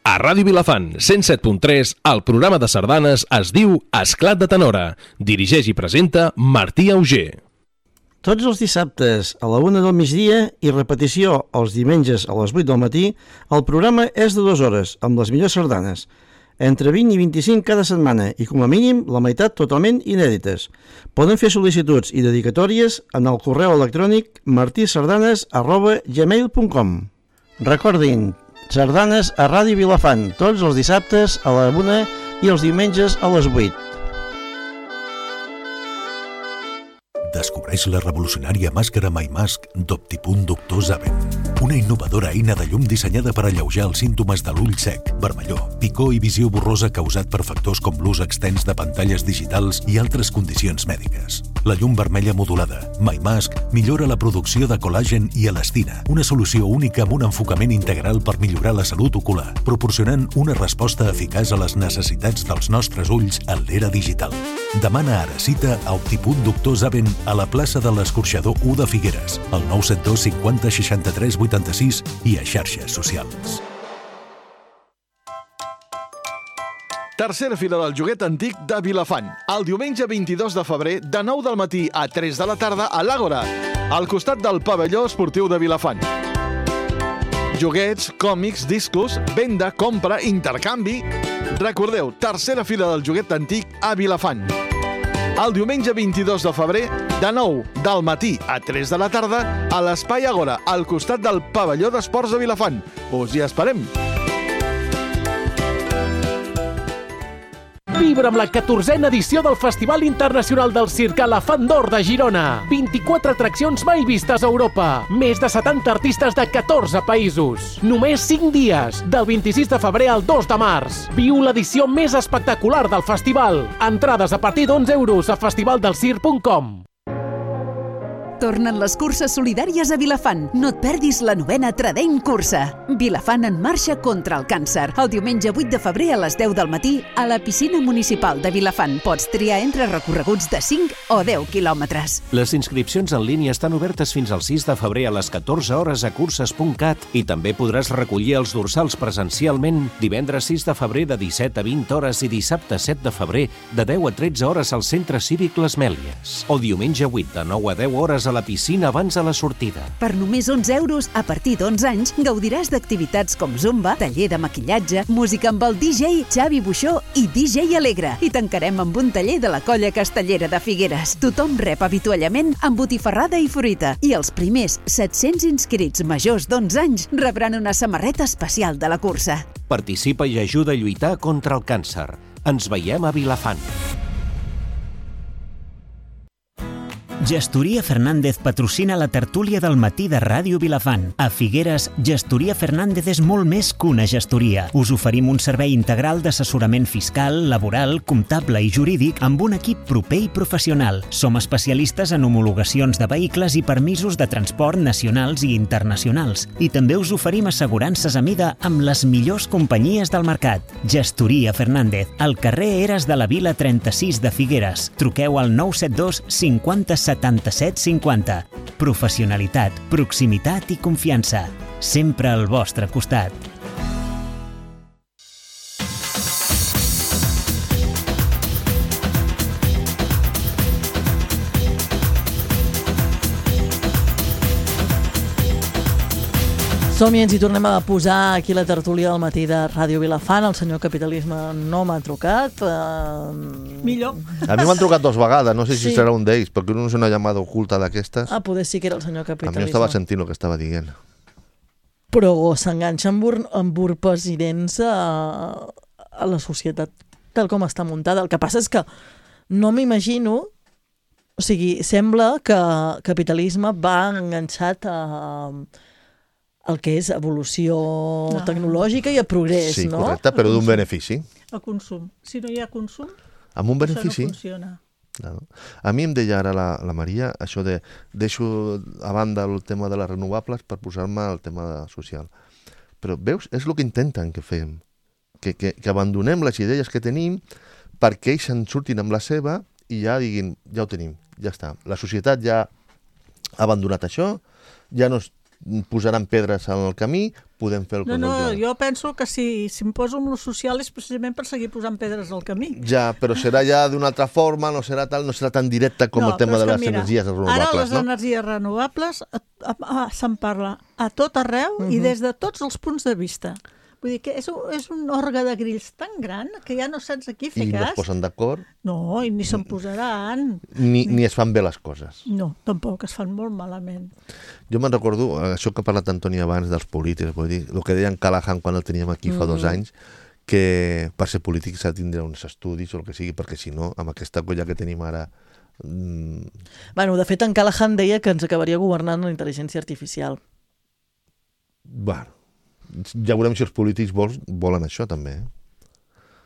A Ràdio Vilafant, cent set punt tres, el programa de sardanes es diu Esclat de Tenora. Dirigeix i presenta Martí Auger. Tots els dissabtes a la una del migdia i repetició els diumenges a les vuit del matí, el programa és de dues hores, amb les millors sardanes. Entre vint i vint-i-cinc cada setmana i, com a mínim, la meitat totalment inèdites. Poden fer sol·licituds i dedicatòries en el correu electrònic martisardanes arroba gmail punt com. Recordin, sardanes a Ràdio Vilafant, tots els dissabtes a la una i els diumenges a les vuit. Descobreix la revolucionària màscara MyMask d'Optipunt Doctor Zaven. Una innovadora eina de llum dissenyada per alleujar els símptomes de l'ull sec, vermellor, picor i visió borrosa causat per factors com l'ús extens de pantalles digitals i altres condicions mèdiques. La llum vermella modulada, MyMask, millora la producció de col·làgen i elastina, una solució única amb un enfocament integral per millorar la salut ocular, proporcionant una resposta eficaç a les necessitats dels nostres ulls en l'era digital. Demana ara cita a Optipunt Doctor Zaven a la plaça de l'Escorxador u de Figueres, al nou set dos cinquanta seixanta-tres vuitanta-sis i a xarxes socials. Tercera fira del joguet antic de Vilafant. El diumenge vint-i-dos de febrer, de nou del matí a tres de la tarda, a l'Àgora, al costat del pavelló esportiu de Vilafant. Joguets, còmics, discos, venda, compra, intercanvi... Recordeu, tercera fira del joguet antic a Vilafant. El diumenge vint-i-dos de febrer, de nou del matí a tres de la tarda, a l'Espai Àgora, al costat del pavelló d'esports de Vilafant. Us hi esperem! Vibra amb la catorzena edició del Festival Internacional del Circ a la Fan d'Or de Girona. vint-i-quatre atraccions mai vistes a Europa. Més de setanta artistes de catorze països. Només cinc dies, del vint-i-sis de febrer al dos de març. Viu l'edició més espectacular del festival. Entrades a partir d'onze euros a festivaldelcirc punt com. Tornen les curses solidàries a Vilafant. No et perdis la novena Tradent Cursa. Vilafant en marxa contra el càncer. El diumenge vuit de febrer a les deu del matí a la piscina municipal de Vilafant. Pots triar entre recorreguts de cinc o deu quilòmetres. Les inscripcions en línia estan obertes fins al sis de febrer a les catorze hores a curses punt cat i també podràs recollir els dorsals presencialment divendres sis de febrer de disset a vint hores i dissabte set de febrer de deu a tretze hores al Centre Cívic Les Mèlies. O diumenge vuit de nou a deu hores a la piscina abans de la sortida. Per només onze euros, a partir d'onze anys, gaudiràs d'activitats com zumba, taller de maquillatge, música amb el D J Xavi Buixó i D J Alegre. I tancarem amb un taller de la Colla Castellera de Figueres. Tothom rep avituallament amb botifarrada i fruita. I els primers set-cents inscrits majors d'onze anys rebran una samarreta especial de la cursa. Participa i ajuda a lluitar contra el càncer. Ens veiem a Vilafant. Gestoria Fernández patrocina la tertúlia del matí de Ràdio Vilafant. A Figueres, Gestoria Fernández és molt més que una gestoria. Us oferim un servei integral d'assessorament fiscal, laboral, comptable i jurídic amb un equip proper i professional. Som especialistes en homologacions de vehicles i permisos de transport nacionals i internacionals. I també us oferim assegurances a mida amb les millors companyies del mercat. Gestoria Fernández, al carrer Eres de la Vila trenta-sis de Figueres. Truqueu al nou set dos cinquanta setanta-set cinquanta. Professionalitat, proximitat i confiança. Sempre al vostre costat. Som-hi, ens hi tornem a posar aquí la tertúlia del matí de Ràdio Vilafant. El senyor Capitalisme no m'ha trucat. Uh... Millor. A mi m'han trucat dos vegades, no sé si Sí. serà un d'ells, perquè no és una llamada oculta d'aquestes. Ah, poder sí que era el senyor A mi Capitalisme. estava sentint el que estava dient. Però s'enganxa amb, ur amb urpes i dents a, a la societat tal com està muntada. El que passa és que no m'imagino... O sigui, sembla que Capitalisme va enganxat a... el que és evolució No. tecnològica i a progrés, Sí, no? correcte, però d'un benefici. El consum. Si no hi ha consum, Amb un benefici. això no funciona. Claro. A mi em deia ara la, la Maria això de deixo a banda el tema de les renovables per posar-me el tema social. Però veus, és el que intenten que fem, que, que, que abandonem les idees que tenim perquè ells se'n surtin amb la seva i ja diguin, ja ho tenim, ja està. La societat ja ha abandonat això, ja no es posaran pedres en el camí, podem fer el que No, no, vulguem. jo penso que si, si em poso amb lo social és precisament per seguir posant pedres al camí. Ja, però serà ja d'una altra forma, no serà tal, no serà tan directe com No, el tema però és de que les mira, energies renovables, Ara les no? energies renovables a- a- a- se'n parla a tot arreu uh -huh. i des de tots els punts de vista. Vull dir que és un, és un orgue de grills tan gran que ja no saps a qui fer I no es cas. posen d'acord, No, i ni se'n posaran. ni, ni es fan bé les coses. No, tampoc, es fan molt malament. Jo me'n recordo, eh, això que ha parlat Antoni abans dels polítics, vull dir, el que deia en Callahan quan el teníem aquí fa dos anys, que per ser polític s'ha de tindre uns estudis o el que sigui, perquè si no, amb aquesta colla que tenim ara... Mm, Bueno, de fet, en Callahan deia que ens acabaria governant la intel·ligència artificial. bueno, ja veurem si els polítics vols, volen això també, eh?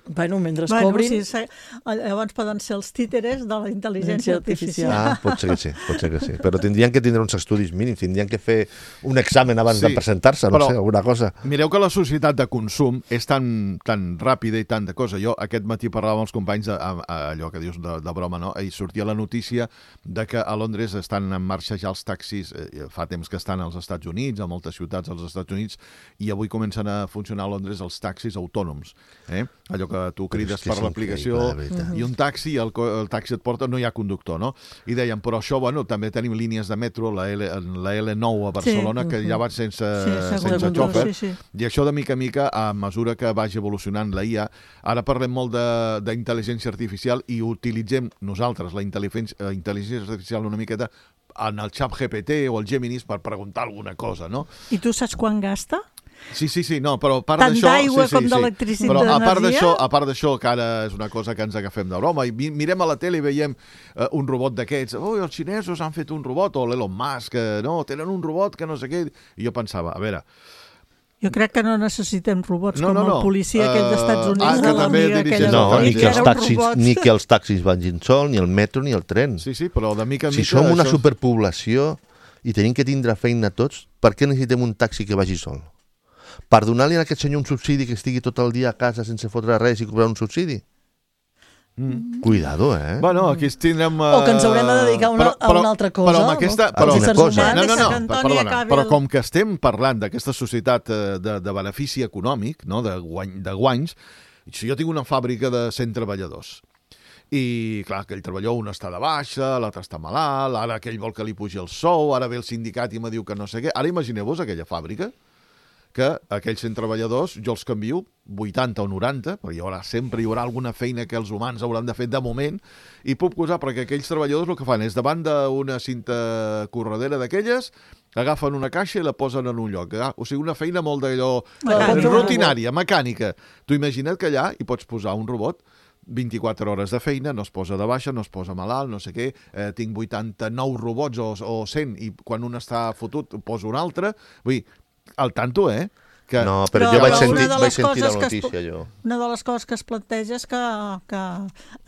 Bueno, mentre Bueno, cobrin... sí, se- llavors poden ser els títeres de la intel·ligència artificial. Ah, pot ser que sí, pot ser que sí. Però tindrien que tindre uns estudis mínims, tindrien que fer un examen abans Sí, de presentar-se, no però- sé, alguna cosa. Mireu que la societat de consum és tan, tan ràpida i tanta cosa. Jo aquest matí parlava amb els companys de, a, a, allò que dius de, de broma, no? I sortia la notícia de que a Londres estan en marxa ja els taxis, eh, fa temps que estan als Estats Units, a moltes ciutats als Estats Units, i avui comencen a funcionar a Londres els taxis autònoms. Eh? Allò que que tu crides és que per és l'aplicació increïble, de veritat. i un taxi, el, co- el taxi et porta, no hi ha conductor, no? I deien, però això, bueno, també tenim línies de metro, la, L, la L nou a Barcelona, Sí. que ja van sense, Sí, sense segur, xòfer, sí, sí. i això de mica a mica, a mesura que vagi evolucionant la I A, ara parlem molt de- d'intel·ligència artificial i utilitzem nosaltres la intel·ligència, la intel·ligència artificial una miqueta en el xat G P T o el Geminis per preguntar alguna cosa, no? I tu saps quan gasta? Sí, sí, sí, no, però a part Tant d'això... d'aigua sí, sí, com sí. d'electricitat, Però a part d'energia? d'això, a part d'això, que ara és una cosa que ens agafem de broma, i mi- mirem a la tele i veiem uh, un robot d'aquests, oh, els xinesos han fet un robot, o l'Elon Musk, que no, tenen un robot que no sé què... I jo pensava, a veure... Jo crec que no necessitem robots No, com no, no. el policia aquell dels Estats Uh, Units ah, de que també l'amiga dirigeix aquella el No, Exacte. ni que que, era els un taxis, robot. ni que els taxis vagin sol, ni el metro, ni el tren. Sí, sí, però de mica en Si mica... som una això- superpoblació i tenim que tindre feina tots, per què necessitem un taxi que vagi sol? Per donar-li a aquest senyor un subsidi que estigui tot el dia a casa sense fotre res i cobrar un subsidi? Mm. Cuidado, eh? Bueno, aquí tindrem... Uh... O que ens haurem de dedicar a una- a una altra cosa, Però, amb aquesta, no? però, Els éssers cosa. humans. No, no, no, Que Antoni perdona, acabi però el- com que estem parlant d'aquesta societat eh, de, de benefici econòmic, no? de, guany, de guanys, si jo tinc una fàbrica de cent treballadors i, clar, aquell treballador un està de baixa, l'altre està malalt, ara aquell vol que li pugi el sou, ara ve el sindicat i me diu que no sé què. Ara imagineu-vos aquella fàbrica que aquells cent treballadors jo els canvio vuitanta o noranta, perquè hi haurà, sempre hi haurà alguna feina que els humans hauran de fer de moment, i puc posar, perquè aquells treballadors el que fan és davant d'una cinta corredera d'aquelles, agafen una caixa i la posen en un lloc. Ah, o sigui, una feina molt d'allò Mecànica. eh, rutinària, mecànica. Tu imagina't que allà hi pots posar un robot vint-i-quatre hores de feina, no es posa de baixa, no es posa malalt, no sé què, eh, tinc vuitanta-nou robots o, o cent, i quan un està fotut poso un altre. Vull dir, al tanto, eh? Que... No, però, Però jo vaig una sentir, de vaig les sentir la coses que es notícia, po- jo. Una de les coses que es planteja és que, que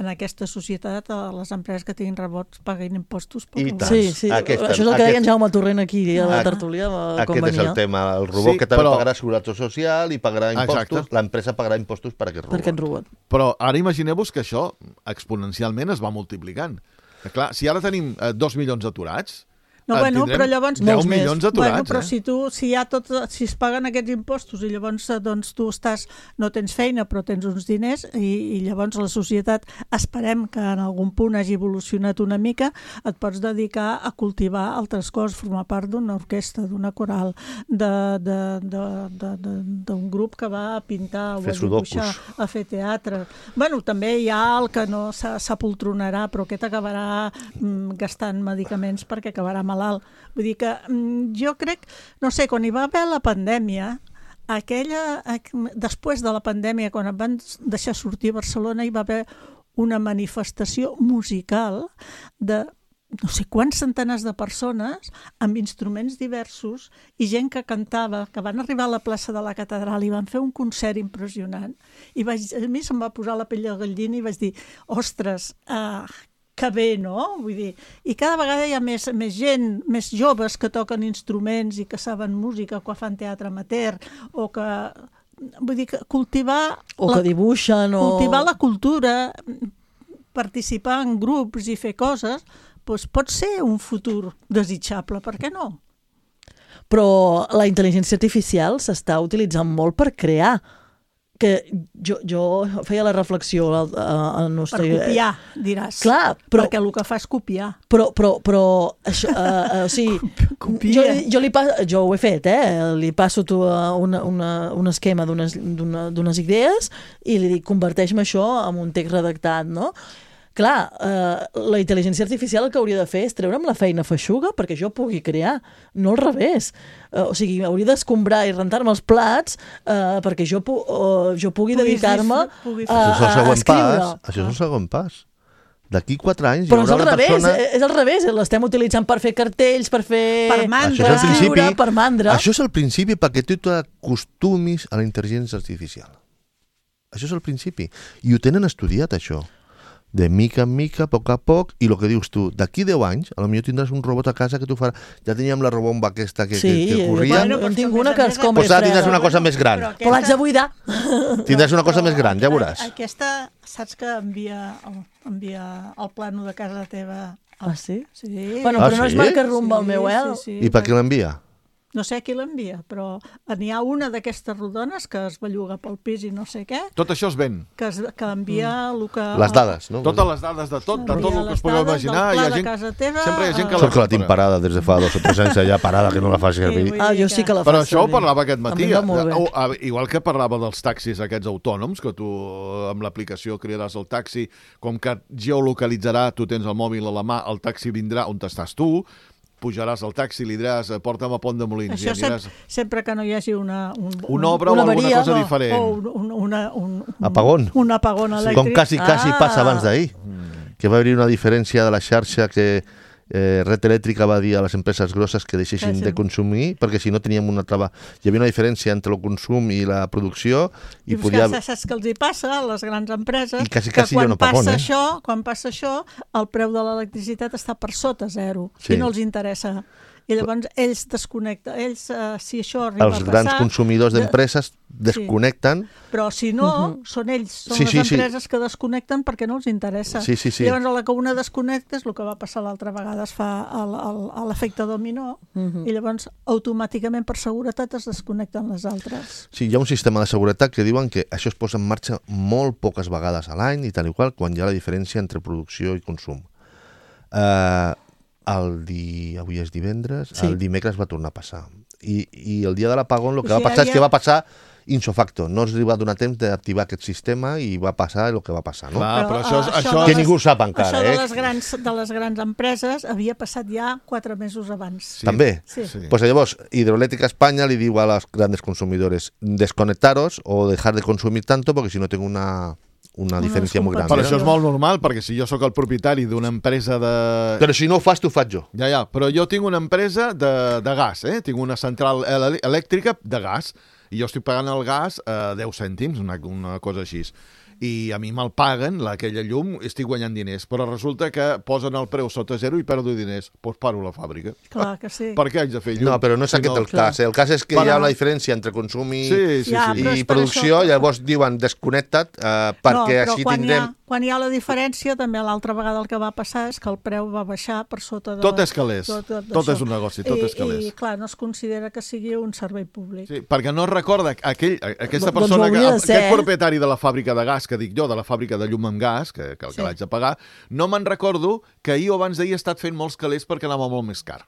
en aquesta societat eh, les empreses que tinguin robots paguin impostos. per I robots. tant. Sí, sí. Aquesta- Això és el que deia en aquest- Jaume Torrent aquí a la Aquest- tertúlia, eh, com Aquest és venia. el tema. El robot Sí, que també però- pagarà seguretat social i pagarà impostos, Exacte. l'empresa pagarà impostos per aquest robot. Per aquest robot. Però ara imagineu-vos que això exponencialment es va multiplicant. Que, clar, si ara tenim eh, dos milions d'aturats, No, en bueno, tindrem però llavors... deu molts més. milions d'aturats, Bueno, però eh? si tu, si hi ha tot, si es paguen aquests impostos i llavors eh, doncs, tu estàs, no tens feina però tens uns diners i, i llavors la societat, esperem que en algun punt hagi evolucionat una mica, et pots dedicar a cultivar altres coses, formar part d'una orquestra, d'una coral, de- de- de- de- de- d'un grup que va a pintar o Fer a dibuixar, sudokus. a fer teatre. Bueno, també hi ha el que no s'a- s'apoltronarà, però aquest acabarà mm, gastant medicaments perquè acabarà malalt. Vull dir que mm, jo crec, no sé, quan hi va haver la pandèmia, aquella, aqu- després de la pandèmia, quan et van deixar sortir a Barcelona, hi va haver una manifestació musical de no sé quants centenars de persones amb instruments diversos i gent que cantava, que van arribar a la plaça de la catedral i van fer un concert impressionant. I vaig, a mi se'm va posar la pell de gallina i vaig dir, ostres, uh, que bé, no? Vull dir, i cada vegada hi ha més, més gent, més joves que toquen instruments i que saben música, que fan teatre amateur, o que... Vull dir, que cultivar... O que dibuixen, o... Cultivar la cultura, participar en grups i fer coses, doncs pot ser un futur desitjable, per què no? Però la intel·ligència artificial s'està utilitzant molt per crear. Que jo, jo feia la reflexió al, al nostre... Per copiar, diràs. Clar, però... Perquè el que fa és copiar. Però, però, però això, uh, uh, o sigui, Copia. jo, jo, li pas, jo ho he fet, eh? Li passo tu una, una, un esquema d'unes d'unes idees i li dic, converteix-me això en un text redactat, no? Clar, eh, la intel·ligència artificial el que hauria de fer és treure'm la feina feixuga perquè jo pugui crear, no al revés. Eh, o sigui, hauria d'escombrar i rentar-me els plats eh, perquè jo, pu uh, jo pugui Puguis dedicar-me a, pugui a, Això és el a següent escriure. pas. Això és el segon pas. D'aquí quatre anys Però hi és haurà al una revés, persona... és al revés, l'estem utilitzant per fer cartells, per fer... Per mandra. Això és el principi. escriure, per mandra. Això és el principi perquè tu t'acostumis a la intel·ligència artificial. Això és el principi. I ho tenen estudiat, això. De mica en mica, a poc a poc, i el que dius tu, d'aquí deu anys, potser tindràs un robot a casa que tu farà... Ja teníem la robomba aquesta que, Sí, que, que corria, bueno, jo en tinc una que es com doncs ara tindràs una cosa més gran. Però Però l'haig de buidar. Tindràs una cosa més gran, ja veuràs. Aquesta, saps que envia, envia el plano de casa teva? Ah, sí? Sí. Bueno, Ah, però no sí? es marca rumba el meu, eh? Sí, sí, I per què l'envia? no sé qui l'envia, però n'hi ha una d'aquestes rodones que es belluga pel pis i no sé què. Tot això es ven. Que, es, que envia el que... Les dades, no? Totes les dades de tot, de tot el que us podeu imaginar. Hi ha gent, teva, sempre hi ha gent que Sort que la tinc parada des de fa dos o tres anys allà parada, que no la faci servir. Ah, jo sí que la faig Però això ho servir. parlava aquest matí. O, igual que parlava dels taxis aquests autònoms, que tu amb l'aplicació cridaràs el taxi, com que geolocalitzarà, tu tens el mòbil a la mà, el taxi vindrà on estàs tu, pujaràs al taxi, li diràs porta'm a Pont de Molins. Això aniràs... sempre, sempre que no hi hagi una... Un, una obra una o alguna avaria, cosa no, diferent. O un, un, una, un, un, apagón. Un apagón elèctric. Com quasi, quasi ah. passa abans d'ahir. Mm. Que va haver una diferència de la xarxa que eh, Red Elèctrica va dir a les empreses grosses que deixessin sí, sí. de consumir, perquè si no teníem una trava... Hi havia una diferència entre el consum i la producció. I, I podia... saps què els hi passa a les grans empreses? I quasi, quasi que quan, no apagón, passa eh? això, quan passa això, el preu de l'electricitat està per sota zero. Sí. I no els interessa. I llavors ells desconnecten, ells, uh, si això arriba els a passar... grans consumidors d'empreses de... desconnecten... Sí. Però si no, uh-huh. són ells, són sí, les sí, empreses sí. que desconnecten perquè no els interessa. Sí, sí, sí. I llavors a la que una desconnecta és el que va passar l'altra vegada, es fa l'efecte dominó, uh-huh. i llavors automàticament per seguretat es desconnecten les altres. Sí, hi ha un sistema de seguretat que diuen que això es posa en marxa molt poques vegades a l'any i tal i qual, quan hi ha la diferència entre producció i consum. Eh... Uh, El di... Avui és divendres, sí. El dimecres va tornar a passar. I, i el dia de l'apagón el que o sigui, va passar ja... és que va passar insofacto. No es va donar temps d'activar aquest sistema i va passar el que va passar, no? Clar, però això, això, això... Que les, ningú sap encara, això de eh? les, grans, de les grans empreses havia passat ja quatre mesos abans. Sí. També? Sí. sí. Pues llavors, Hidroeléctrica España li diu a los grandes consumidores desconectaros o dejar de consumir tanto porque si no tengo una... una diferència molt gran. Però això és molt normal, perquè si jo sóc el propietari d'una empresa de... Però si no ho fas, t'ho faig jo. Ja, ja, però jo tinc una empresa de, de gas, eh? Tinc una central elèctrica de gas, i jo estic pagant el gas a deu cèntims, una, una cosa així. I a mi me'l paguen, aquella llum, estic guanyant diners, però resulta que posen el preu sota zero i perdo diners. Doncs paro la fàbrica. Clar que sí. Per què haig de fer llum? No, però no és si aquest no, el clar. cas. El cas és que però... hi ha una diferència entre consum i, sí, sí, ja, sí. i producció, això... llavors diuen desconnecta't uh, perquè no, així tindrem... Ha, quan hi ha la diferència, també l'altra vegada el que va passar és que el preu va baixar per sota de... Tot és calés. Tot, tot, tot és un negoci, tot I, és calés. I, clar, no es considera que sigui un servei públic. Sí, perquè no recorda aquell, aquesta doncs persona, que, ser, aquest propietari de la fàbrica de gas, que dic jo, de la fàbrica de llum amb gas, que, que el que sí. l'haig de pagar, no me'n recordo que ahir o abans d'ahir he estat fent molts calés perquè anava molt més car.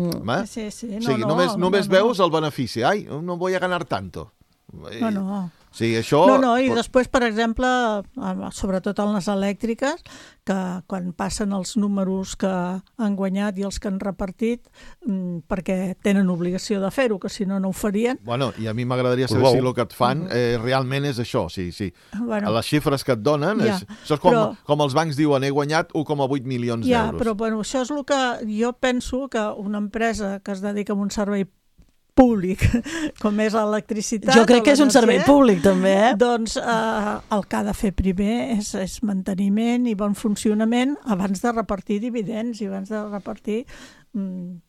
Mm. Sí, sí, no, o sigui, no, només, no, només no, veus el benefici. Ai, no voy a ganar tanto. No, no. Sí, això... No, no, i després, per exemple, sobretot en les elèctriques, que quan passen els números que han guanyat i els que han repartit, perquè tenen obligació de fer-ho, que si no, no ho farien. Bueno, i a mi m'agradaria saber si el que et fan eh, realment és això, sí, sí. Bueno, les xifres que et donen, ja, és, això és com, però, com els bancs diuen, he guanyat u coma vuit milions ja, d'euros. Ja, però bueno, això és el que jo penso que una empresa que es dedica a un servei públic, com és l'electricitat... Jo crec que és un servei públic, també, eh? Doncs eh, el que ha de fer primer és, és manteniment i bon funcionament abans de repartir dividends i abans de repartir... Mm,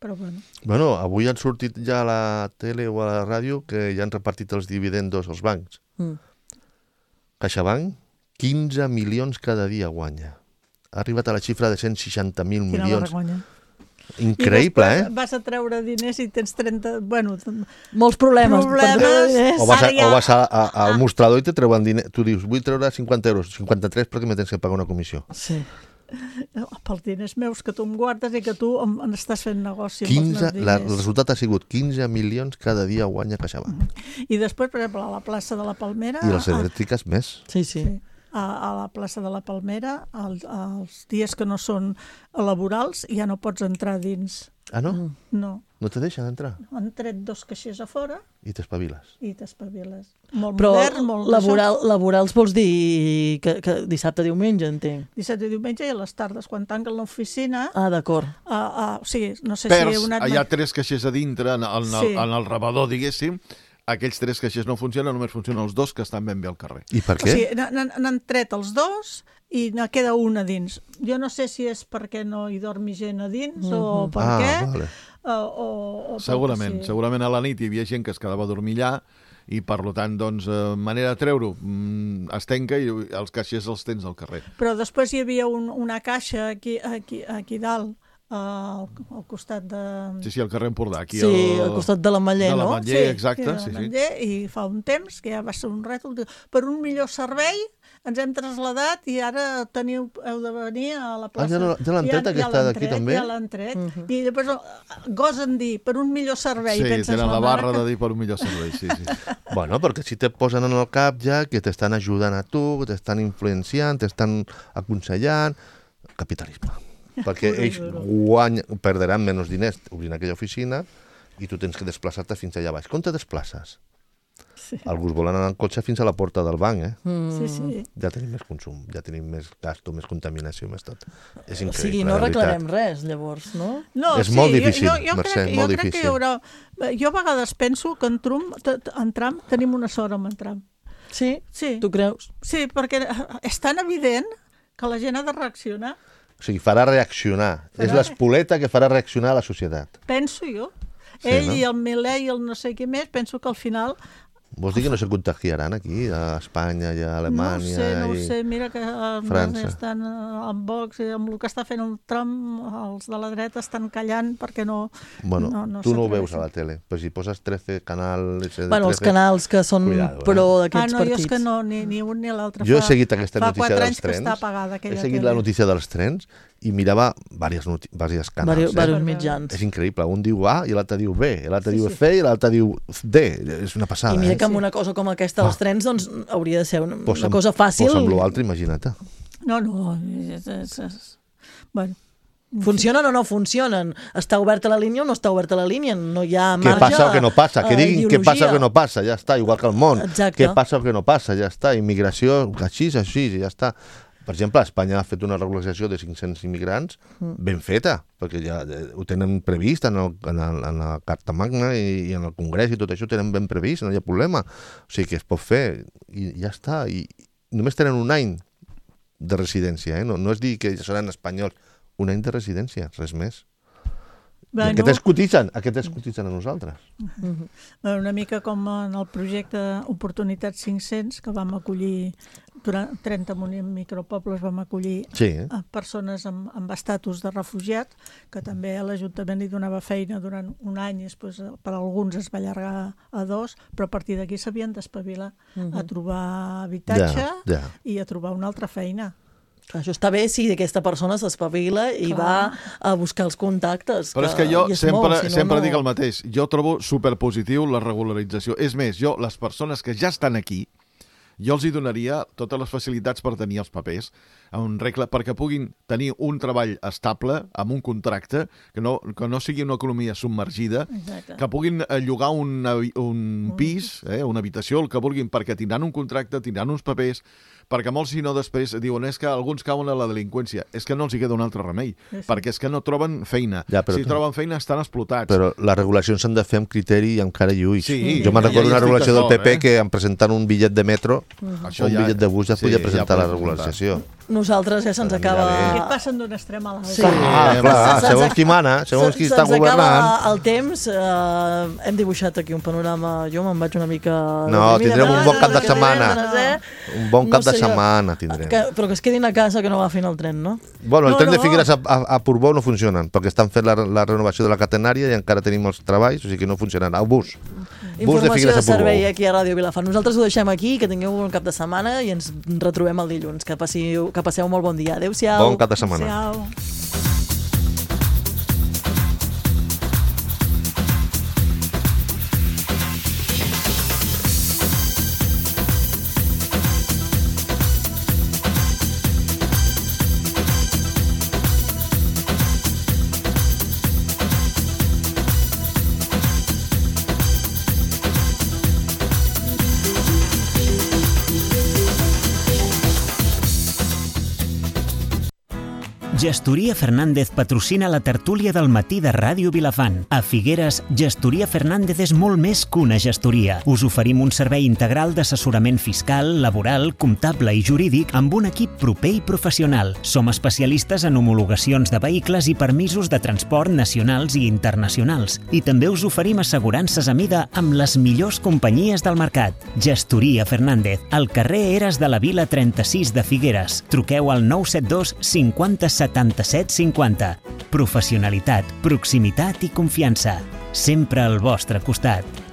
però bueno. Bueno, avui han sortit ja a la tele o a la ràdio que ja han repartit els dividendos als bancs. Mm. CaixaBank, quinze milions cada dia guanya. Ha arribat a la xifra de cent seixanta mil milions. Quina vergonya. Increïble, eh? Vas a treure diners i tens trenta... Bueno, molts problemes. problemes. O vas, a, o vas a, a, al mostrador i te treuen diners. Tu dius, vull treure cinquanta euros, cinquanta-tres perquè me tens que pagar una comissió. Sí. Pels diners meus que tu em guardes i que tu en estàs fent negoci quinze, la, el resultat ha sigut quinze milions cada dia guanya CaixaBank. I després, per exemple, a la plaça de la Palmera... I les elèctriques a... més. Sí, sí. sí. A, a la plaça de la Palmera, el, els dies que no són laborals, ja no pots entrar dins. Ah, no? No. No te deixen entrar? Han tret dos caixers a fora. I t'espaviles. I t'espaviles. Molt Però modern, molt... laboral, laborals vols dir que, que dissabte, diumenge, entenc? Dissabte i diumenge i a les tardes, quan tanquen l'oficina... Ah, d'acord. Uh, uh, o sigui, no sé Pers, si... Una... Hi ha tres caixers a dintre, en, en, sí. el, en el rebedor, diguéssim. Aquells tres caixers no funcionen, només funcionen els dos que estan ben bé al carrer. I per què? O sigui, n'han tret els dos i ne queda un a dins. Jo no sé si és perquè no hi dormi gent a dins mm-hmm. o per ah, què. Vale. O, o, o segurament, sí. segurament a la nit hi havia gent que es quedava a dormir allà i per tant, doncs, eh, manera de treure-ho mm, es tanca i els caixers els tens al carrer. Però després hi havia un, una caixa aquí, aquí, aquí dalt al, al costat de... Sí, sí, al carrer Empordà. Aquí Sí, el... al costat de l'Ametller, de no? l'Ametller, Sí, exacte. sí, Sí, sí. Ametller, i fa un temps, que ja va ser un rètol, per un millor servei ens hem traslladat i ara teniu, heu de venir a la plaça. Ah, ja no- ja l'han tret, aquesta d'aquí, també? Ja l'han tret. I després gosen dir, per un millor servei. Sí, penses, tenen la mare barra que- de dir per un millor servei, sí, sí. Bueno, perquè si te posen en el cap ja que t'estan ajudant a tu, que t'estan influenciant, t'estan aconsellant... Capitalisme. Perquè ells guany, perdran menys diners obrint aquella oficina i tu tens que desplaçar-te fins allà baix. Com te desplaces? Sí. Alguns volen anar en cotxe fins a la porta del banc, eh? Mm. Sí, sí. Ja tenim més consum, ja tenim més gasto, més contaminació, més tot. És O increïble, sigui, no la veritat. arreglarem res, llavors, no? No, És sí, molt jo- difícil, jo, jo Mercè, crec, molt jo crec que hi difícil. haurà... Jo a vegades penso que en Trump, t- t- en Trump tenim una sort amb en Trump. Sí? Sí. Tu creus? Sí, perquè és tan evident que la gent ha de reaccionar. O sigui, farà reaccionar. Farà És l'espoleta que farà reaccionar a la societat. Penso jo. Sí, Ell no? i el Milei i el no sé què més, penso que al final... Vols dir que no se contagiaran aquí, a Espanya i a Alemanya? no ho sé, no ho i... sé, mira que els França. estan eh, amb Vox i amb el que està fent el Trump, els de la dreta estan callant perquè no... Bueno, no, no tu no ho veus s'atreveixen. a la tele, però si poses trece canal... ese de Bueno, els trece, canals que són cuidado, eh? pro Ah, d'aquests no, jo partits. és que no, ni, ni un ni l'altre. Jo he Fa- seguit aquesta fa notícia quatre dels anys que trens, està apagada aquella he seguit tele. la notícia dels trens i mirava diversos, noti- diversos canals. Vari- eh? Varios mitjans. És increïble, un diu A i l'altre diu B, l'altre Sí, diu sí. C i l'altre diu D. És una passada, I mira eh? que amb una cosa com aquesta dels trens, doncs hauria de ser una, Pues una amb- cosa fàcil. Pues amb l'altre, imagina't. No, no, és, és, és... Bueno, Funcionen o no funcionen? Està oberta la línia o no està oberta la línia? No hi ha Què marge passa o què no passa? Que a diguin què passa o què no passa, ja està, igual que el món. Exacte. Què passa o què no passa, ja està. Immigració, així, així, ja està. Per exemple, Espanya ha fet una regularització de cinc-cents immigrants ben feta, perquè ja eh, ho tenen previst en, el, en, el, en la Carta Magna i, i en el Congrés i tot això ho tenen ben previst, no hi ha problema. O sigui que es pot fer i ja està. I només tenen un any de residència, eh? no, no és dir que seran espanyols, un any de residència, res més. I Bueno. aquests cotitzen, aquests cotitzen a nosaltres. Bueno, una mica com en el projecte Oportunitats cinc-cents, que vam acollir durant trenta micropobles, vam acollir Sí. a persones amb, amb estatus de refugiat, que també a l'Ajuntament li donava feina durant un any, i després per alguns es va allargar a dos, però a partir d'aquí s'havien d'espavilar a trobar habitatge Ja, ja. i a trobar una altra feina. Això està bé si aquesta persona s'espavila i Clar. va a buscar els contactes. Però és que jo i es sempre, mou, si no, sempre no... dic el mateix. Jo trobo superpositiu la regularització. És més, jo, les persones que ja estan aquí, jo els hi donaria totes les facilitats per tenir els papers a un regle, perquè puguin tenir un treball estable, amb un contracte, que no, que no sigui una economia submergida, Exacte. que puguin eh, llogar un, habi- un pis, eh, una habitació, el que vulguin, perquè tindran un contracte, tindran uns papers, perquè molts, si no, després diuen és que alguns cauen a la delinqüència. És que no els hi queda un altre remei, Sí, sí. perquè és que no troben feina. Ja, però si tu- troben feina, estan explotats. Però les regulacions s'han de fer amb criteri i amb cara i ulls. Sí, jo me'n ja recordo hi una estic regulació del d'acord, P P eh? que en presentant un bitllet de metro Això o un ja- bitllet de bus ja sí, podia ja presentar la poden regularització. Nosaltres ja se'ns Però acaba... mira Aquests passen d'un extrem a l'altre. Sí. Ah, Eh, clar, se'ns segons ac- qui mana, segons qui se- està se'ns acaba governant. el temps, eh, hem dibuixat aquí un panorama, jo me'n vaig una mica... No, deprimida, tindrem un però bon cap de que ve, setmana. no sé. Un bon cap No de sé jo. setmana tindrem. Que, però que es quedin a casa, que no agafin el tren, no? Bueno, el No, tren de no. Figueres a, a, a Portbou no funcionen, perquè estan fent la, la renovació de la catenària i encara tenim els treballs, o sigui que no funcionarà. El bus. Bus de Informació Figueres de a Portbou. servei aquí a Ràdio Vilafant. Nosaltres ho deixem aquí, que tingueu un cap de setmana i ens retrobem el dilluns. Que, passiu, que passeu molt bon dia. Adéu-siau. Bon cap de setmana. Adéu. Gestoria Fernández patrocina la tertúlia del matí de Ràdio Vilafant. A Figueres, Gestoria Fernández és molt més que una gestoria. Us oferim un servei integral d'assessorament fiscal, laboral, comptable i jurídic amb un equip proper i professional. Som especialistes en homologacions de vehicles i permisos de transport nacionals i internacionals. I també us oferim assegurances a mida amb les millors companyies del mercat. Gestoria Fernández, al carrer Eres de la Vila trenta-sis de Figueres. Truqueu al nou set dos cinquanta setanta-set cinquanta. Professionalitat, proximitat i confiança. Sempre al vostre costat.